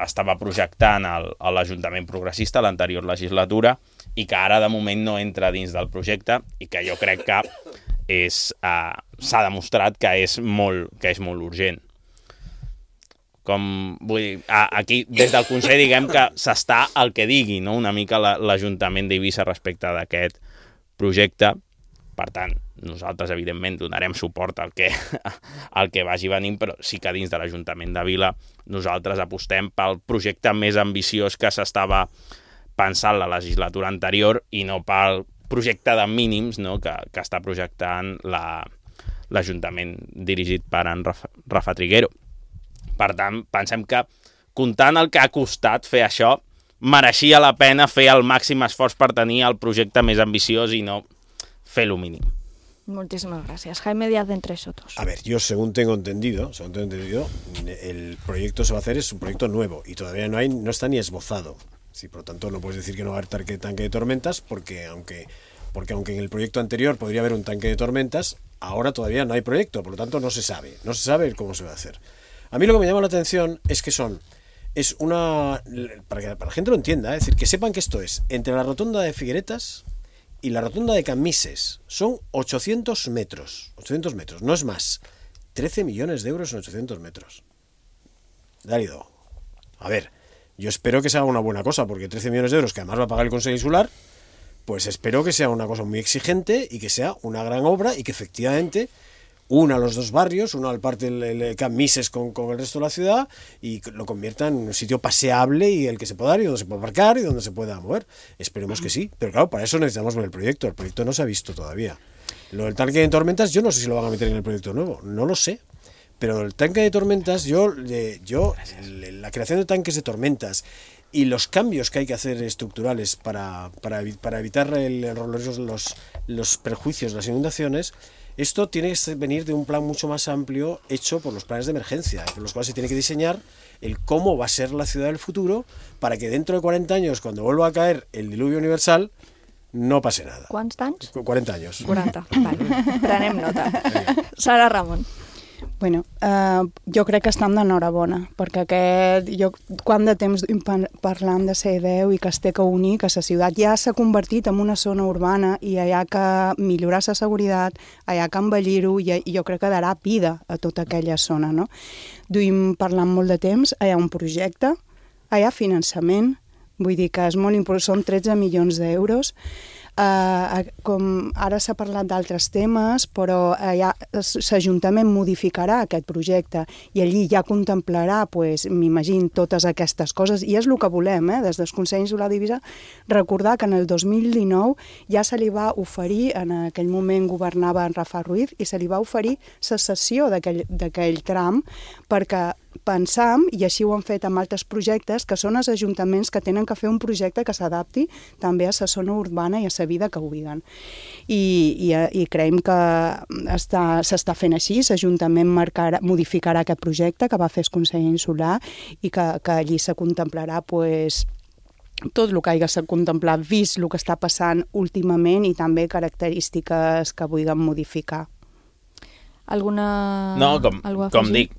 estava projectant el, l'Ajuntament progressista l'anterior legislatura i que ara de moment no entra dins del projecte i que jo crec que és, uh, s'ha demostrat que és molt, que és molt urgent. Com, vull dir, aquí des del Consell diguem que s'està el que digui, no?, una mica l'Ajuntament d'Eivissa respecte d'aquest projecte. Per tant, nosaltres evidentment donarem suport al que, al que vagi venint, però sí que dins de l'Ajuntament de Vila nosaltres apostem pel projecte més ambiciós que s'estava pensant la legislatura anterior i no pel projecte de mínims, no?, que, que està projectant la, l'Ajuntament dirigit per en Rafa, Rafa Triguero. Per tant, pensem que, comptant el que ha costat fer això, mereixia la pena fer el màxim esforç per tenir el projecte més ambiciós i no fer lo mínim. Muchísimas gracias. Jaime Díaz de Entre Sotos. A ver, yo según tengo entendido, según tengo entendido, el proyecto se va a hacer, es un proyecto nuevo y todavía no hay, no está ni esbozado. Sí, por lo tanto, no puedes decir que no va a haber tanque, tanque de tormentas, porque aunque, porque aunque en el proyecto anterior podría haber un tanque de tormentas, ahora todavía no hay proyecto, por lo tanto no se sabe, no se sabe cómo se va a hacer. A mí lo que me llama la atención es que son, es una, para que para la gente lo entienda, es decir, que sepan que esto es entre la rotonda de Figueretas y la rotonda de Camises, son ochocientos metros, ochocientos metros, no es más, trece millones de euros en ochocientos metros. Dálido, a ver, yo espero que sea una buena cosa, porque trece millones de euros que además va a pagar el Consejo Insular, pues espero que sea una cosa muy exigente y que sea una gran obra y que efectivamente una a los dos barrios, una al parte del Camises con, con el resto de la ciudad y lo convierta en un sitio paseable y el que se pueda dar y donde se pueda aparcar y donde se pueda mover. Esperemos que sí, pero claro, para eso necesitamos ver el proyecto. El proyecto no se ha visto todavía. Lo del tanque de tormentas, yo no sé si lo van a meter en el proyecto nuevo, no lo sé. Pero el tanque de tormentas, yo, yo la creación de tanques de tormentas y los cambios que hay que hacer estructurales para, para, para evitar el, los, los, los perjuicios, las inundaciones, esto tiene que venir de un plan mucho más amplio hecho por los planes de emergencia, por los cuales se tiene que diseñar el cómo va a ser la ciudad del futuro para que dentro de cuarenta años, cuando vuelva a caer el diluvio universal, no pase nada. ¿Cuántos años? cuarenta años. quaranta, vale. Prenem nota. Sara Ramon. Bueno, eh, jo crec que estem d'enhorabona, perquè aquest, jo, quant de temps parlant de la E deu i que es té que unir, que la ciutat ja s'ha convertit en una zona urbana i hi ha que millorar la seguretat, hi ha que embellir-ho i, i jo crec que darà vida a tota aquella zona, no? Duim parlant molt de temps, hi ha un projecte, hi ha finançament, vull dir que és molt important, són tretze milions d'euros. Uh, com ara s'ha parlat d'altres temes, però uh, l'Ajuntament modificarà aquest projecte i allí ja contemplarà, pues, m'imagino, totes aquestes coses, i és el que volem, eh, des del Consell Insular d'Eivissa, recordar que en el dos mil dinou ja se li va oferir, en aquell moment governava en Rafa Ruiz, i se li va oferir la cessió d'aquell tram perquè pensam, i així ho han fet amb altres projectes, que són els ajuntaments que tenen que fer un projecte que s'adapti també a la zona urbana i a la vida que viuen. I, i, i creiem que s'està fent així, l'Ajuntament modificarà aquest projecte que va fer el Consell Insular i que, que allí se contemplarà pues, tot el que hagi de contemplar, vist el que està passant últimament i també característiques que vulguem modificar. Alguna... No, com, com dic,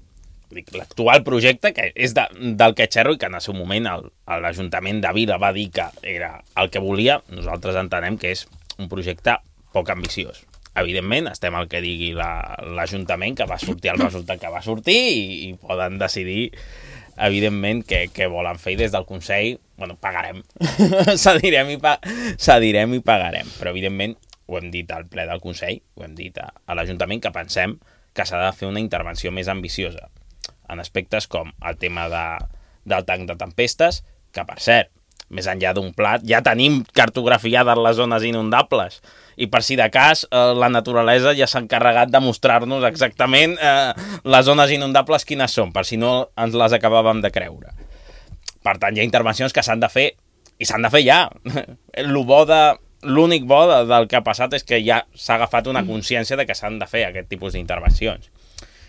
dic l'actual projecte, que és de, del que xerro i que en el seu moment l'Ajuntament de Vila va dir que era el que volia, nosaltres entenem que és un projecte poc ambiciós. Evidentment, estem al que digui l'Ajuntament, que va sortir el resultat que va sortir i, i poden decidir, evidentment, què, què volen fer i des del Consell, bueno, pagarem. Cedirem i, pa, cedirem i pagarem. Però, evidentment, ho hem dit al ple del Consell, ho hem dit a, a l'Ajuntament, que pensem que s'ha de fer una intervenció més ambiciosa en aspectes com el tema de, del tanc de tempestes, que, per cert, més enllà d'un plat, ja tenim cartografiades les zones inundables i per si de cas eh, la naturalesa ja s'ha encarregat de mostrar-nos exactament eh, les zones inundables quines són, per si no ens les acabàvem de creure. Per tant, hi ha intervencions que s'han de fer i s'han de fer ja. Lo bo de... L'únic bo del que ha passat és que ja s'ha agafat una consciència de que s'han de fer aquest tipus d'intervencions.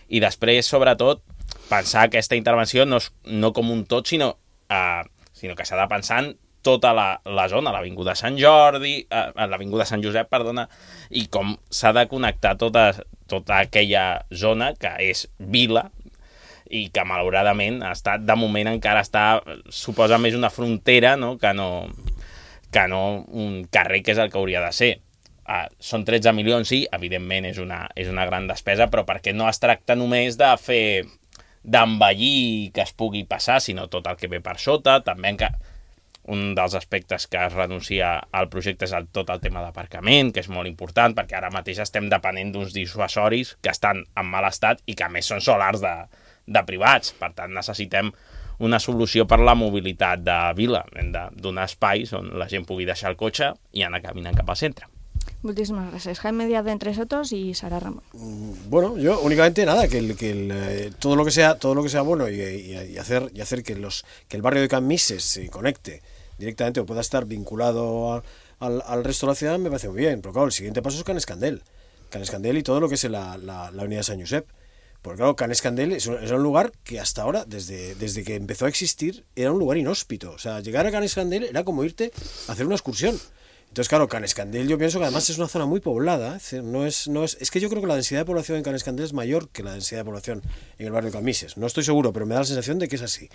I després, sobretot, pensar aquesta intervenció no, és, no com un tot, sinó, uh, sinó que s'ha de pensar en tota la, la zona, l'Avinguda Sant Jordi, uh, l'Avinguda Sant Josep, perdona, i com s'ha de connectar tota, tota aquella zona que és vila i que, malauradament, està, de moment encara està, suposa més una frontera, no?, que no... que no un carrer que és el que hauria de ser. Uh, són tretze milions, sí, evidentment és una, és una gran despesa, però perquè no es tracta només de fer d'envellir que es pugui passar, sinó tot el que ve per sota. També que un dels aspectes que es renuncia al projecte és el, tot el tema d'aparcament, que és molt important, perquè ara mateix estem depenent d'uns dissuasoris que estan en mal estat i que a més són solars de, de privats. Per tant, necessitem una solució per la mobilitat de Vila. Hem de donar espais on la gent pugui deixar el cotxe i anar caminant cap al centre. Muchísimas gracias. Jaime Díaz de Entre Sotos y Sara Ramón. Bueno, yo únicamente nada, que, el, que el, eh, todo lo que sea todo lo que sea bueno y, y, y hacer y hacer que los que el barrio de Can Mises se conecte directamente o pueda estar vinculado a, al, al resto de la ciudad me parece muy bien. Pero claro, el siguiente paso es Can Escandel. Can Escandel y todo lo que es la, la, la unidad de San Josep. Porque claro, Can Escandel es un, es un lugar que hasta ahora, desde, desde que empezó a existir, era un lugar inhóspito. O sea, llegar a Can Escandel era como irte a hacer una excursión. Entonces, claro, Can Escandel yo pienso que además es una zona muy poblada. Es, decir, no es, no es, es que yo creo que la densidad de población en Can Escandel es mayor que la densidad de población en el barrio de Can Mises. No estoy seguro, pero me da la sensación de que es así.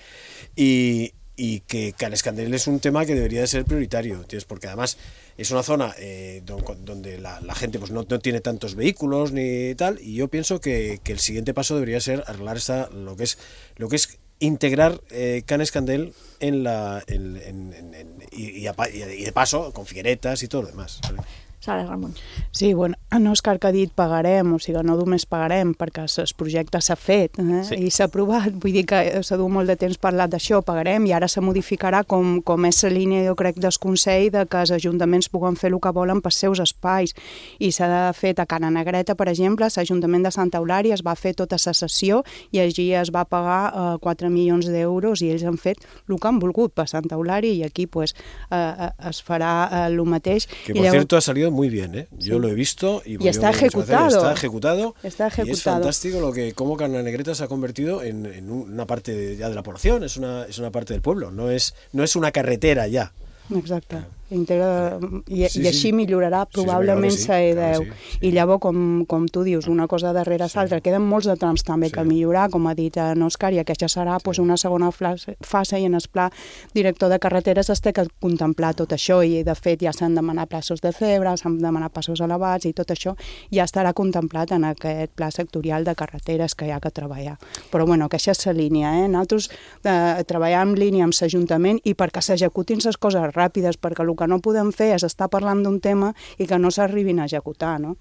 Y... y que Can Escandel es un tema que debería de ser prioritario, ¿entiendes? Porque además es una zona eh, donde la, la gente pues no, no tiene tantos vehículos ni tal, y yo pienso que, que el siguiente paso debería ser arreglar esta, lo que es lo que es integrar eh, Can Escandel en la en, en, en, en, y, y, a, y de paso con Figueretas y todo lo demás, ¿vale? Sara Ramon. Sí, bueno, en Òscar que ha dit pagarem, o sigui, no només pagarem perquè el projecte s'ha fet eh? Sí. I s'ha aprovat, vull dir que s'ha dut molt de temps parlat d'això, pagarem i ara se modificarà com, com és la línia, jo crec, del Consell de que els ajuntaments puguen fer el que volen pels seus espais i s'ha fet a Cana Negreta, per exemple, l'Ajuntament de Santa Eulària es va fer tota la sessió i allí es va pagar eh, quatre milions d'euros i ells han fet el que han volgut per Santa Eulària i aquí pues, eh, es farà eh, el mateix. Que por I llavors... cierto ha salido muy bien, ¿eh? Yo sí. Lo he visto y, y está, ejecutado. está ejecutado. Está ejecutado. Y es fantástico lo que cómo Cana Negreta se ha convertido en, en una parte de, ya de la población, es una, es una parte del pueblo, no es, no es una carretera ya. Exacte. Integra... I, sí, i així sí. millorarà probablement sí, la E deu. sí, sí. I llavors, com, com tu dius, una cosa darrere l'altra. Sí. Queden molts de trams també sí. que millorar, com ha dit en Òscar, i aquesta serà sí. pues, una segona fase i en el pla director de carreteres es té que contemplar tot això i de fet ja s'han demanat passos de cebre, s'han demanat passos elevats i tot això ja estarà contemplat en aquest pla sectorial de carreteres que hi ha que treballar. Però bueno, aquesta és la línia. Eh? Nosaltres eh, treballar en línia amb l'Ajuntament i perquè s'executin les coses ràpides, perquè el que no podem fer és estar parlant d'un tema i que no s'arribin a executar, no?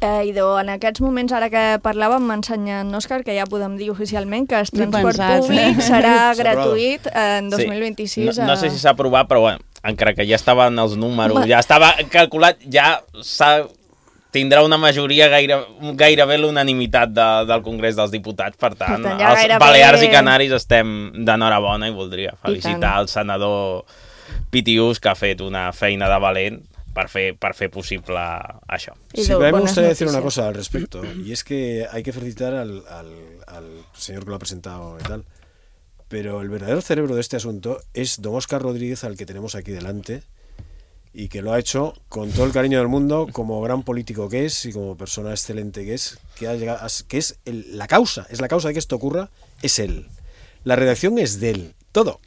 Eh, Idò, en aquests moments, ara que parlàvem, m'ensenya en Òscar que ja podem dir oficialment que el transport pensat, públic eh? serà gratuït en dos mil vint-i-sis. Sí. No, no sé si s'ha aprovat, però bueno, encara que ja estaven els números, Va. ja estava calculat, ja s'ha tindrà una majoria gaire, gairebé l'unanimitat de, del Congrés dels Diputats, per tant, Per tant, ja els gairebé- Balears i Canaris estem d'enhorabona i voldria felicitar tant. el senador Pitiús, que ha fet una feina de valent per fer, per fer possible això. Sí, pero a mí me gustaría decir una cosa al respecto, y es que hay que felicitar al, al, al señor que lo ha presentado y tal, pero el verdadero cerebro de este asunto es don Óscar Rodríguez, al que tenemos aquí delante, y que lo ha hecho con todo el cariño del mundo, como gran político que es y como persona excelente que es, que, ha llegado, que es el, la causa, es la causa de que esto ocurra, es él. La redacción es de él, todo.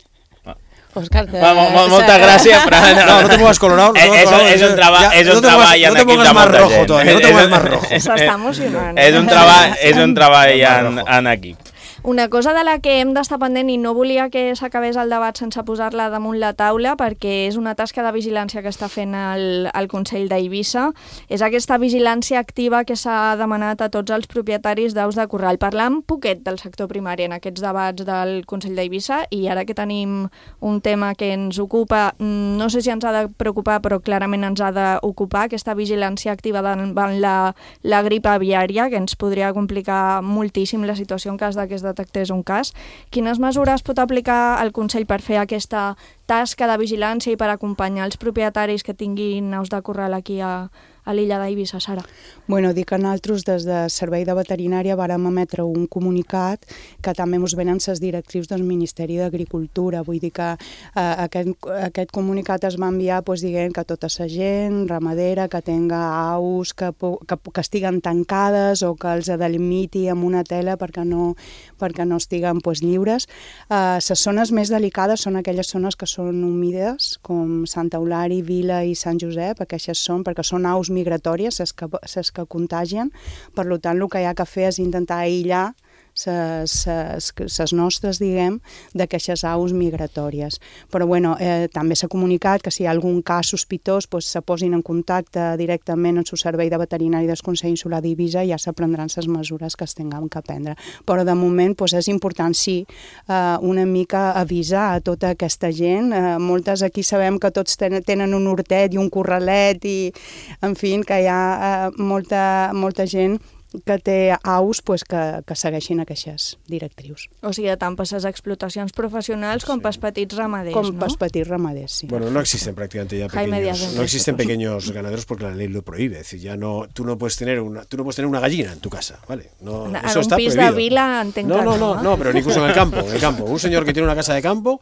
Òscar, Va, mo, mo, moltes gràcies, però... No, no te pongas colorado. No te és, pongas és, és un, traba, ya, és un no te treball pongas, en no te equip pongas de más molta rojo gent. todavía, no te pongas más rojo. S'està emocionant. És un treball, és un treball en, en equip. Una cosa de la que hem d'estar pendent i no volia que s'acabés el debat sense posar-la damunt la taula, perquè és una tasca de vigilància que està fent el, el Consell d'Eivissa, és aquesta vigilància activa que s'ha demanat a tots els propietaris d'aus de corral. Parlam poquet del sector primari en aquests debats del Consell d'Eivissa, i ara que tenim un tema que ens ocupa, no sé si ens ha de preocupar, però clarament ens ha d'ocupar, aquesta vigilància activa davant la, la grip aviària, que ens podria complicar moltíssim la situació en cas de que es detectés un cas. Quines mesures pot aplicar el Consell per fer aquesta tasca de vigilància i per acompanyar els propietaris que tinguin aus de corral aquí a, a l'illa d'Eivissa, Sara? Bueno, dic que nosaltres des de Servei de Veterinària vàrem emetre un comunicat que també ens venen les directrius del Ministeri d'Agricultura. Vull dir que eh, aquest, aquest comunicat es va enviar pues, dient que tota la gent ramadera que tenga aus que, que, que estiguen tancades o que els delimiti amb una tela perquè no, perquè no estiguen pues, lliures. Eh, les zones més delicades són aquelles zones que són humides, com Santa Eulària, Vila i Sant Josep, aquestes són perquè són aus migratòries, les que, les que contagien. Per tant, el que hi ha que fer és intentar aïllar les nostres, diguem, d'aquestes aus migratòries. Però, bueno, eh, també s'ha comunicat que si hi ha algun cas sospitós, pues, se posin en contacte directament amb el Servei de Veterinari del Consell Insular d'Eivissa i ja se prendran les mesures que es tinguem que prendre. Però, de moment, pues, és important, sí, eh, una mica avisar a tota aquesta gent. Eh, moltes aquí sabem que tots ten tenen un hortet i un corralet i, en fi, que hi ha eh, molta, molta gent que té aus pues, que, que segueixin aquestes directrius. O sigui, tant per les explotacions professionals com sí. pels petits ramaders, com ¿no? pels petits ramaders, sí. Bueno, no existen prácticamente ya pequeños, no existen pequeños ganaderos porque la ley lo prohíbe. Es decir, ya no, tú no puedes tener una, tú no puedes tener una gallina en tu casa, ¿vale? No, en eso un está pis prohibido. de vila entenc no, que no, no, no, no, pero incluso en el campo, en el campo. Un señor que tiene una casa de campo,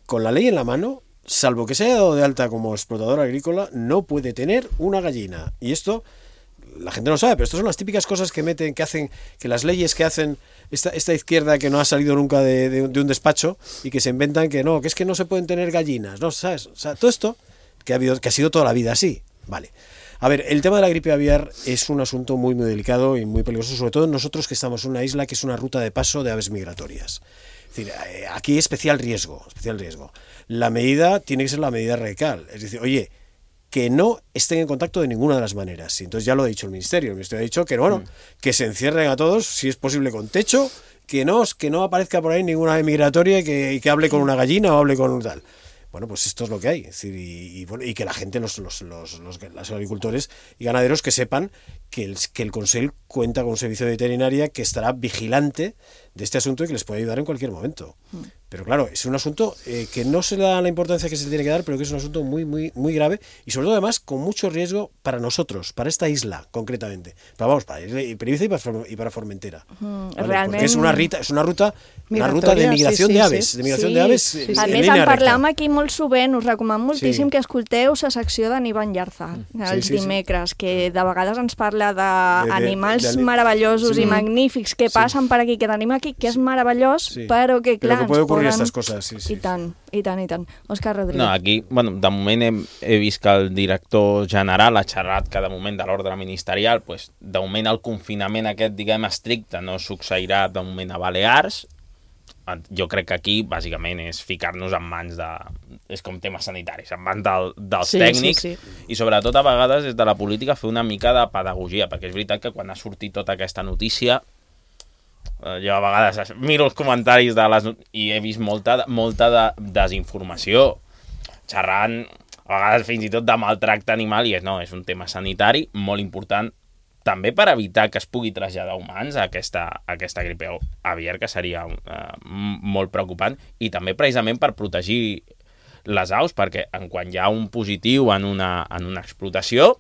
con la ley en la mano, salvo que se haya dado de alta como explotador agrícola, no puede tener una gallina. Y esto la gente no sabe, pero estas son las típicas cosas que meten, que hacen, que las leyes que hacen esta, esta izquierda que no ha salido nunca de, de, de un despacho y que se inventan que no, que es que no se pueden tener gallinas, ¿no? ¿Sabes? O sea, todo esto que ha habido, que ha sido toda la vida así, vale. A ver, el tema de la gripe aviar es un asunto muy, muy delicado y muy peligroso, sobre todo nosotros que estamos en una isla que es una ruta de paso de aves migratorias. Es decir, aquí hay especial riesgo, especial riesgo. La medida tiene que ser la medida radical, es decir, oye, que no estén en contacto de ninguna de las maneras. Y entonces ya lo ha dicho el Ministerio. El Ministerio ha dicho que, bueno, mm. que se encierren a todos, si es posible con techo, que no, que no aparezca por ahí ninguna ave migratoria y que, y que hable con una gallina o hable con un tal. Bueno, pues esto es lo que hay. Es decir, y, y, bueno, y que la gente, los, los, los, los, los agricultores y ganaderos que sepan que el, que el Consell cuenta con un servicio de veterinaria que estará vigilante de este asunto y que les puede ayudar en cualquier momento. Mm. Pero claro, es un asunto eh, que no se le da la importancia que se tiene que dar, pero que es un asunto muy, muy, muy grave y sobre todo además con mucho riesgo para nosotros, para esta isla concretamente. Pero vamos, para Eivissa y para, y para Formentera. Mm, ¿vale? Realment... Porque es una ruta, es una ruta, una ruta de migración sí, sí, de aves, sí. de migración sí, de aves. Sí, sí, sí. A més, en parlam aquí molt sovint, us recomano moltíssim sí. que escolteu la secció d'Anivan Llarza, els sí, sí, dimecres, sí. que de vegades ens parla d'animals de, de, de, meravellosos sí. i magnífics que passen sí. per aquí, que tenim aquí, que és meravellós, sí. però que clar, però que puede ocurrir estas cosas, sí, sí. I tant, i tant, i tant. Òscar Rodríguez. No, aquí, bueno, de moment he, he vist que el director general ha xerrat que de moment de l'ordre ministerial, pues, de moment el confinament aquest, diguem, estricte no succeirà de moment a Balears. Jo crec que aquí, bàsicament, és ficar-nos en mans de... és com temes sanitaris, en mans del, dels sí, tècnics sí, sí. i sobretot a vegades des de la política fer una mica de pedagogia, perquè és veritat que quan ha sortit tota aquesta notícia jo a vegades miro els comentaris de les... i he vist molta, molta de desinformació xerrant a vegades fins i tot de maltracte animal, i és, no, és un tema sanitari molt important, també per evitar que es pugui traslladar humans a aquesta, a aquesta gripe aviar, que seria uh, molt preocupant, i també precisament per protegir les aus, perquè en quan hi ha un positiu en una, en una explotació,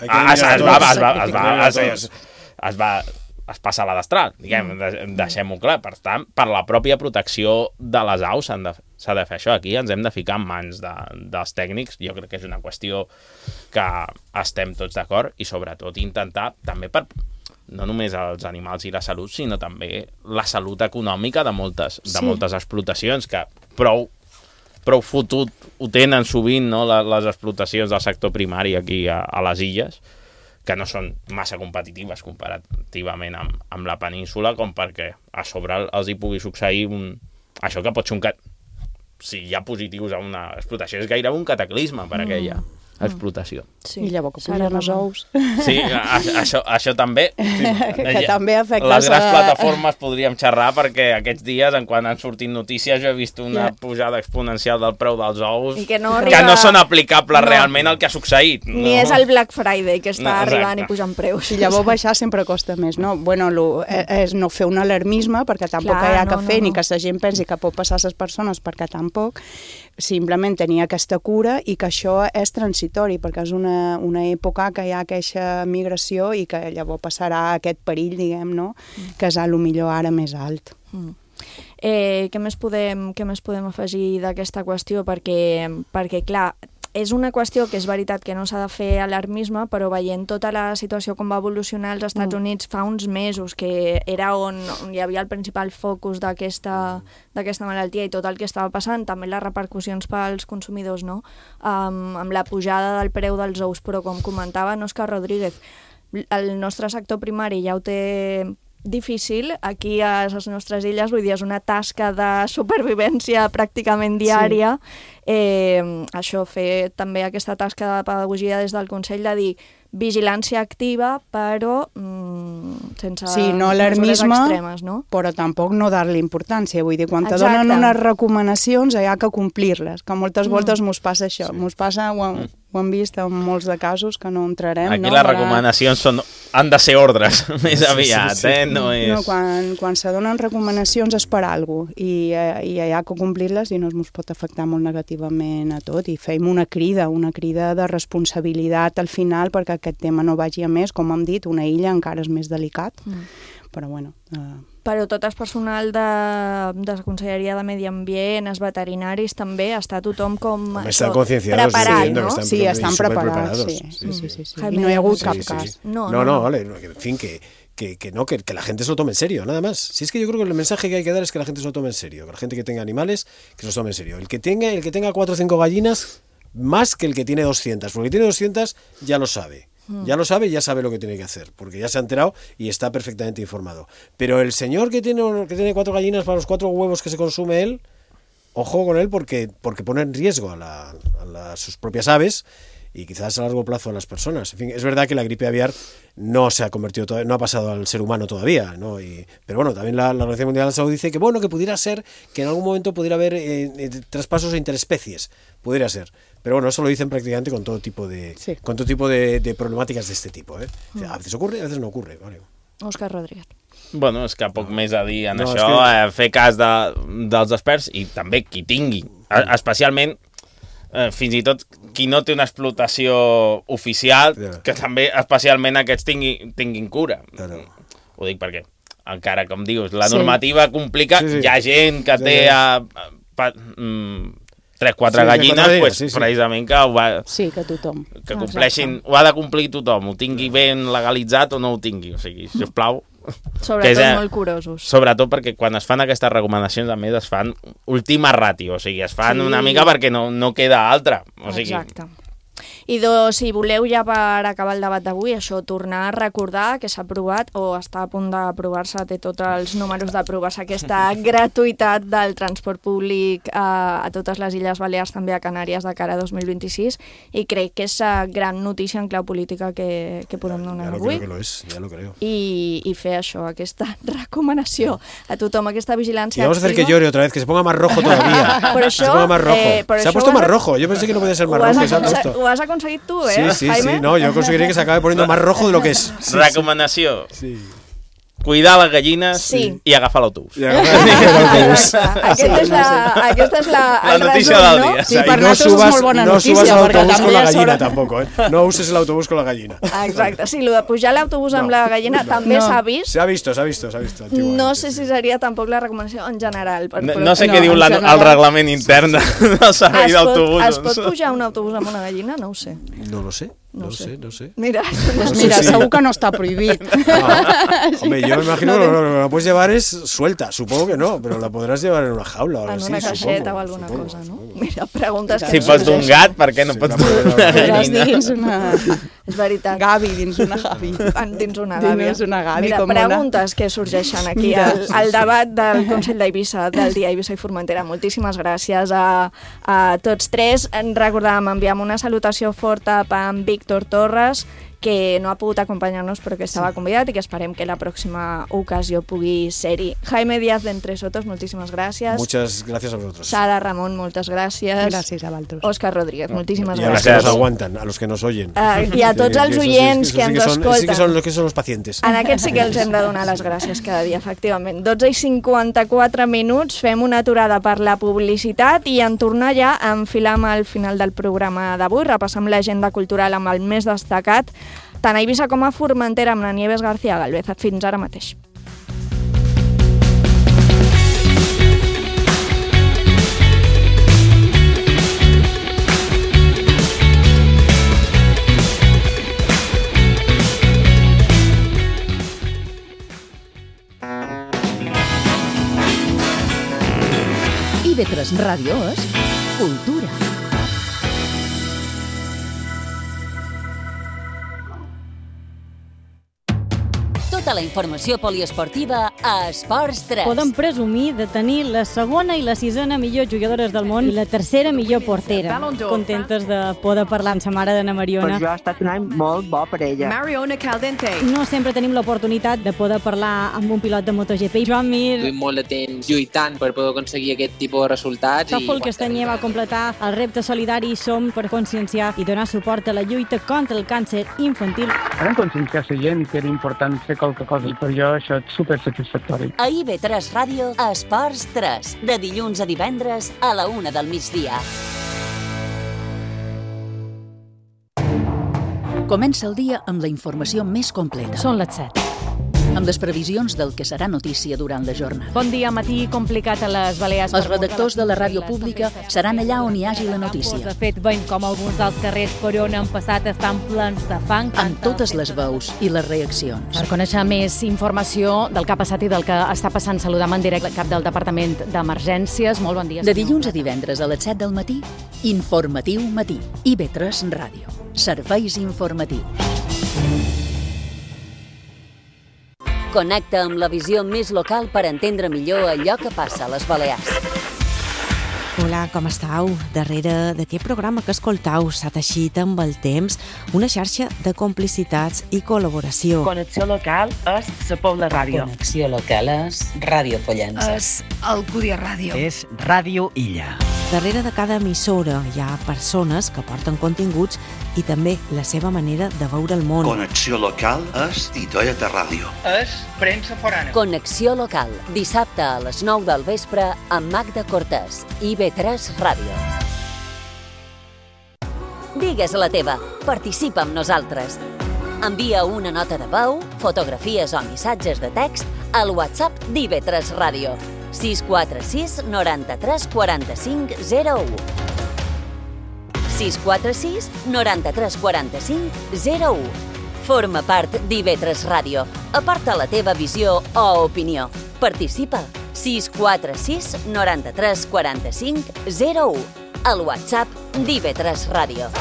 es, es, es, va, es, va, es, va, es, es, es va es passa a la destral, diguem, deixem-ho clar. Per tant, per la pròpia protecció de les aus s'ha de, de fer això. Aquí ens hem de ficar en mans de, dels tècnics. Jo crec que és una qüestió que estem tots d'acord, i sobretot intentar també per no només els animals i la salut, sinó també la salut econòmica de moltes, de sí. moltes explotacions, que prou prou fotut ho tenen sovint, no, les, les explotacions del sector primari aquí a, a les illes, que no són massa competitives comparativament amb, amb la península, com perquè a sobre els hi pugui succeir un... això que pot ser un... si hi ha positius a una explotació és gairebé un cataclisme per aquella mm. explotació. Sí. I llavors que pugen els ous. Sí, a, això, això també. Sí, que ja, també afecta... Les grans a... plataformes podríem xerrar, perquè aquests dies, en quan han sortit notícies, jo he vist una yeah. pujada exponencial del preu dels ous que no, arriba... que no són aplicables no. realment al que ha succeït. Ni no. és el Black Friday, que està no, arribant i pujant preus. I llavors baixar sempre costa més, no? Bueno, lo, és no fer un alarmisme, perquè tampoc Clar, hi ha no, que fer, no, no. ni que la gent pensi que pot passar a les persones, perquè tampoc. Simplement tenir aquesta cura, i que això és transitori, perquè és una, una època que hi ha aquesta migració i que llavors passarà aquest perill, diguem, no? Mm. que és a lo millor ara més alt. Mm. Eh, què més podem, què més podem afegir d'aquesta qüestió? Perquè, perquè, clar, és una qüestió que és veritat que no s'ha de fer alarmisme, però veient tota la situació com va evolucionar als Estats Units fa uns mesos, que era on, on hi havia el principal focus d'aquesta d'aquesta malaltia i tot el que estava passant, també les repercussions pels consumidors, no? Um, amb la pujada del preu dels ous, però com comentava Òscar Rodríguez, el nostre sector primari ja ho té difícil aquí a les nostres illes, vull dir, és una tasca de supervivència pràcticament diària. Sí. Eh, això, fer també aquesta tasca de pedagogia des del Consell, de dir vigilància activa, però mm, sense sí, no alarmisme, extremes, no? Però tampoc no dar-li importància. Vull dir, quan te donen unes recomanacions hi ha que complir-les, que moltes mm. voltes mos passa això. Sí. Mos passa, ho, mm. ho hem vist en molts de casos, que no entrarem. Aquí no? les recomanacions són, han de ser ordres, més sí, aviat, sí, sí. eh? No és... no, quan, quan se donen recomanacions és per alguna cosa, i, i hi ha que complir-les, i no es mos pot afectar molt negativament a tot, i fem una crida, una crida de responsabilitat al final, perquè aquest tema no vagi a més, com hem dit, una illa encara és més delicat, mm. però bueno... Uh... Però tot el personal de, de la Conselleria de Medi Ambient, els veterinaris també, està tothom com això, preparat, no? Estan sí, estan preparats, sí. Sí, sí, sí, sí. I no hi ha hagut sí, cap sí, cas. Sí. No, no, no, no, vale, en fin, que... Que, que no, que, que la gente se lo tome en serio, nada más. Si es que yo creo que el mensaje que hay que dar es que la gente se lo tome en serio, que la gente que tenga animales, que se los tome en serio. El que tenga, el que tenga cuatro o cinco gallinas, más que el que tiene doscientas, porque el que tiene doscientas ya lo sabe. Ya lo sabe y ya sabe lo que tiene que hacer, porque ya se ha enterado y está perfectamente informado. Pero el señor que tiene, que tiene cuatro gallinas para los cuatro huevos que se consume él, ojo con él, porque, porque pone en riesgo a, la, a la, sus propias aves, y quizás a largo plazo a las personas. En fin, es verdad que la gripe aviar no se ha convertido todavía, no ha pasado al ser humano todavía, ¿no? Y, pero bueno, también la, la Organización Mundial de la Salud dice que bueno, que pudiera ser, que en algún momento pudiera haber eh, eh, traspasos interespecies, pudiera ser. Pero bueno, eso lo dicen prácticamente con todo tipo de, sí. con todo tipo de, de problemáticas de este tipo, ¿eh? O sea, a veces ocurre, a veces no ocurre, vale. Òscar Rodríguez. Bueno, és que poc no. més a dir en no, això, que... eh, fer cas de, dels experts, i també qui tingui, especialment eh, fins i tot qui no té una explotació oficial, yeah. que també especialment aquests tingui, tinguin cura. Claro. Ho dic perquè, encara com dius, la normativa sí. complica, sí, sí. hi ha gent que té sí. a, a, a, mm, tres, quatre sí, gallines, sí, pues, sí, sí. precisament que ho va... Sí, que tothom. Que compleixin, Exacte. Ho ha de complir tothom, ho tingui ben legalitzat o no ho tingui, o sigui, sisplau... Sobretot és, molt curosos. Sobretot perquè quan es fan aquestes recomanacions, a més, es fan última ràtio, o sigui, es fan sí. una mica perquè no, no queda altra. O sigui... Exacte. I dos, si voleu ja per acabar el debat d'avui, això, tornar a recordar que s'ha aprovat o està a punt d'aprovar-se, té tots els números d'aprovar-se aquesta gratuïtat del transport públic a, a totes les Illes Balears, també a Canàries de cara a dos mil vint-i-sis, i crec que és la gran notícia en clau política que, que podem donar ja avui. Ja lo és, ja lo creo. I, i fer això, aquesta recomanació a tothom, aquesta vigilància. Y vamos a hacer que llore otra vez, que se ponga más rojo todavía. Por això, se ponga más rojo. Eh, se ha puesto más rojo. Yo pensé que no podía ser más rojo. Que se ha puesto. Ho has aconseguit tu, eh, Sí, sí, Jaime? sí. No, yo conseguiré que se acabe poniendo más rojo de lo que es. Sí, Recomanació. Sí. Cuidar les gallines sí. i agafar l'autobús. I agafar l'autobús. Aquesta és la, aquesta és la, la notícia resum, del no? dia. Sí, per no nosaltres subas, és molt bona no notícia. subas el autobús con la gallina sobre... tampoco, ¿eh? No uses el autobús con la gallina. Exacte, sí, el de pujar l'autobús no. amb la gallina no. també no. s'ha vist. Se ha visto, se ha visto, se ha visto. No sé si seria tampoc la recomanació en general. Per, no, no sé no, què diu la, el reglament intern del servei d'autobús. Es pot pujar un autobús amb una gallina? No ho sé. No lo sé. No, no sé. sé, no sé. Mira, pues mira, sí, sí. Segur que no está prohibit. No. Hombre, yo me imagino que lo, lo que la puedes llevar es suelta, supongo que no, pero la podrás llevar en una jaula o algo en así. En una caixeta supongo, o alguna supongo, cosa, no? supongo. Mira, preguntes que si no pots d'un gat, per què no sí, pots no, d'una gallina? Dins una... És veritat. Gavi, dins una gavi. Dins una gavi. Dins una gavi, Mira, com preguntes una... que sorgeixen aquí al, al debat del Consell d'Eivissa, del dia Eivissa i Formentera. Moltíssimes gràcies a, a tots tres. Recordàvem, enviam una salutació forta per en Víctor Torres, que no ha pogut acompanyar-nos però que estava convidat i que esperem que la pròxima ocasió pugui ser-hi. Jaime Díaz d'Entre Sotos, moltíssimes gràcies. Muchas gracias a vosotros. Sara Ramón, moltes gràcies. Gràcies a vosaltres. Òscar Rodríguez, moltíssimes y a gràcies. los que nos aguantan, a los que nos oyen. Uh, I a tots els oients que, que, que ens son, escolten. Sí que son los que son los pacientes. En aquests sí que els hem de donar les gràcies cada dia, efectivament. dotze i cinquanta-quatre minuts, fem una aturada per la publicitat i en tornar ja a enfilar amb el final del programa d'avui. Repassem l'agenda cultural amb el més destacat, tant a Eivissa com a Formentera, amb la Nieves García Galvez. Fins ara mateix. I ve tres Ràdio és cultura. Tota la informació poliesportiva a Esports tres. Podem presumir de tenir la segona i la sisena millor jugadores del món i la tercera millor portera. Contentes de poder parlar amb sa mare d'Anna Mariona. Per jo ha estat un any molt bo per ella. Mariona Caldente. No sempre tenim l'oportunitat de poder parlar amb un pilot de MotoGP. Joan Mir. Duim molt de temps lluitant per poder aconseguir aquest tipus de resultats. Tòfol Castanyer va completar el repte solidari Som per conscienciar i donar suport a la lluita contra el càncer infantil. Vam conscienciar la gent que era important fer qualque cosa i per jo això és super satisfactori. A I ve tres Ràdio, a Esports tres, de dilluns a divendres a la una del migdia. Comença el dia amb la informació més completa. Són les set. Amb les previsions del que serà notícia durant la jornada. Bon dia, matí complicat a les Balears. Els redactors de la ràdio pública seran allà on hi hagi la notícia. De fet, veiem com alguns dels carrers per on han passat estan plens de fang. Amb totes les veus i les reaccions. Per conèixer més informació del que ha passat i del que està passant, saludam en directe el cap del Departament d'Emergències. Molt bon dia. De dilluns a divendres a les set del matí, Informatiu Matí. I ve tres Ràdio. Serveis informatius. Connecta amb la visió més local per entendre millor allò que passa a les Balears. Hola, com estàu? Darrere d'aquest programa que escoltau s'ha teixit amb el temps una xarxa de complicitats i col·laboració. Connexió local és la Pobla Ràdio. Connexió local és Ràdio Pollença. És Alcúdia Ràdio. És Ràdio Illa. Darrere de cada emissora hi ha persones que porten continguts i també la seva manera de veure el món. Connexió local és Titoeta Ràdio. És premsa forana. Connexió local, dissabte a les nou del vespre amb Magda Cortés, I ve tres Ràdio. Digues la teva, participa amb nosaltres. Envia una nota de veu, fotografies o missatges de text al WhatsApp d'I ve tres Ràdio. sis quatre sis noranta-tres quaranta-cinc zero u. sis quatre sis noranta-tres quaranta-cinc zero u. Forma part d'I ve tres Ràdio. Aporta la teva visió o opinió. Participa. sis quatre sis noranta-tres quaranta-cinc zero u. Al WhatsApp d'I ve tres Ràdio.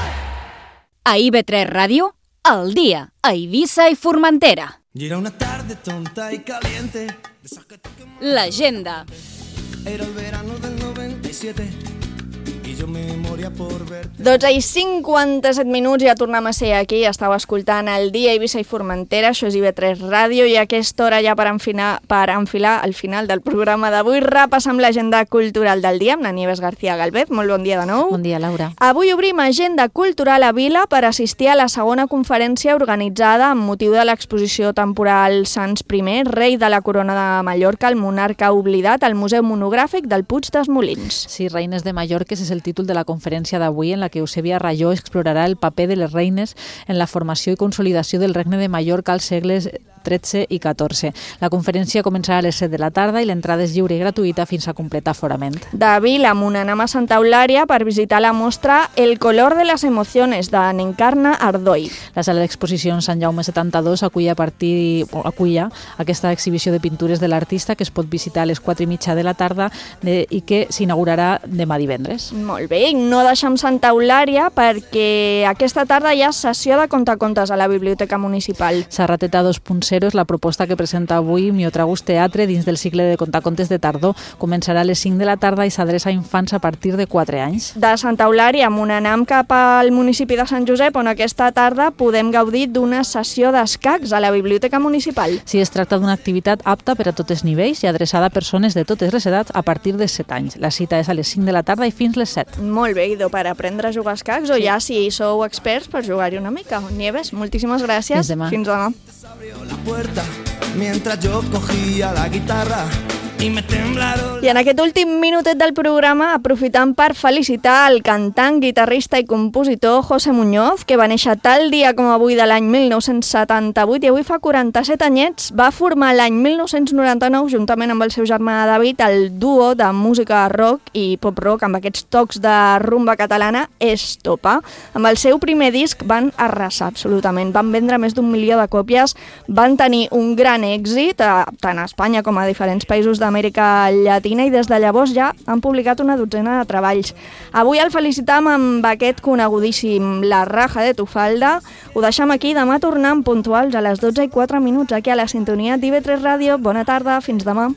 A I B tres Ràdio, al dia, a Eivissa i Formentera. Era una tarde tonta y caliente. L'agenda. Era el verano del noventa y siete. I jo me moria por verte. dotze i cinquanta-set minuts, ja tornem a ser aquí. Estàu escoltant el dia a Eivissa i Formentera, això és I B tres Ràdio, i a aquesta hora ja per enfilar, per enfilar al final del programa d'avui repassam l'agenda cultural del dia amb la Nieves García Galvez. Molt bon dia de nou. Bon dia, Laura. Avui obrim agenda cultural a Vila per assistir a la segona conferència organitzada amb motiu de l'exposició temporal Sants I, rei de la corona de Mallorca, el monarca oblidat, al Museu Monogràfic del Puig dels Molins. Sí, Reines de Mallorca és el títol de la conferència d'avui, en la que Eusebia Rayó explorarà el paper de les reines en la formació i consolidació del Regne de Mallorca als segles tretze i catorze. La conferència començarà a les set de la tarda i l'entrada és lliure i gratuïta fins a completar aforament. De Vila, anem a Santa Eulària per visitar la mostra El color de las emociones, de N'Encarna Ardoi. La sala d'exposicions Sant Jaume setanta-dos acull a partir acull aquesta exhibició de pintures de l'artista que es pot visitar a les quatre i mitja de la tarda de, i que s'inaugurarà demà divendres. Molt bé, no deixem Santa Eulària perquè aquesta tarda hi ha sessió de contacontes a la Biblioteca Municipal. Serrateta dos punt zero és la proposta que presenta avui Miotragus Teatre dins del cicle de contacontes de tardor. Començarà a les cinc de la tarda i s'adreça a infants a partir de quatre anys. De Santa Eulària anem cap al municipi de Sant Josep, on aquesta tarda podem gaudir d'una sessió d'escacs a la Biblioteca Municipal. Sí, es tracta d'una activitat apta per a tots els nivells i adreçada a persones de totes les edats a partir de set anys. La cita és a les cinc de la tarda i fins les set. Molt bé, idò per aprendre a jugar a escacs o sí. Ja si sou experts per jugar-hi una mica. Nieves, moltíssimes gràcies. Fins demà. Fins demà. La puerta mientras yo cogía la guitarra y me temblaron... I en aquest últim minutet del programa aprofitant per felicitar el cantant, guitarrista i compositor José Muñoz, que va néixer tal dia com avui de l'any mil nou-cents setanta-vuit i avui fa quaranta-set anyets. Va formar l'any mil nou-cents noranta-nou juntament amb el seu germà David el duo de música rock i pop-rock amb aquests tocs de rumba catalana Estopa. Amb el seu primer disc van arrasar absolutament, van vendre més d'un milió de còpies, van tenir un gran èxit tant a Espanya com a diferents països d'Amèrica Llatina i des de llavors ja han publicat una dotzena de treballs. Avui el felicitam amb aquest conegudíssim La raja de tu falda. Ho deixem aquí, demà tornem puntuals a les dotze i quatre minuts aquí a la sintonia d'I B tres Ràdio. Bona tarda, fins demà.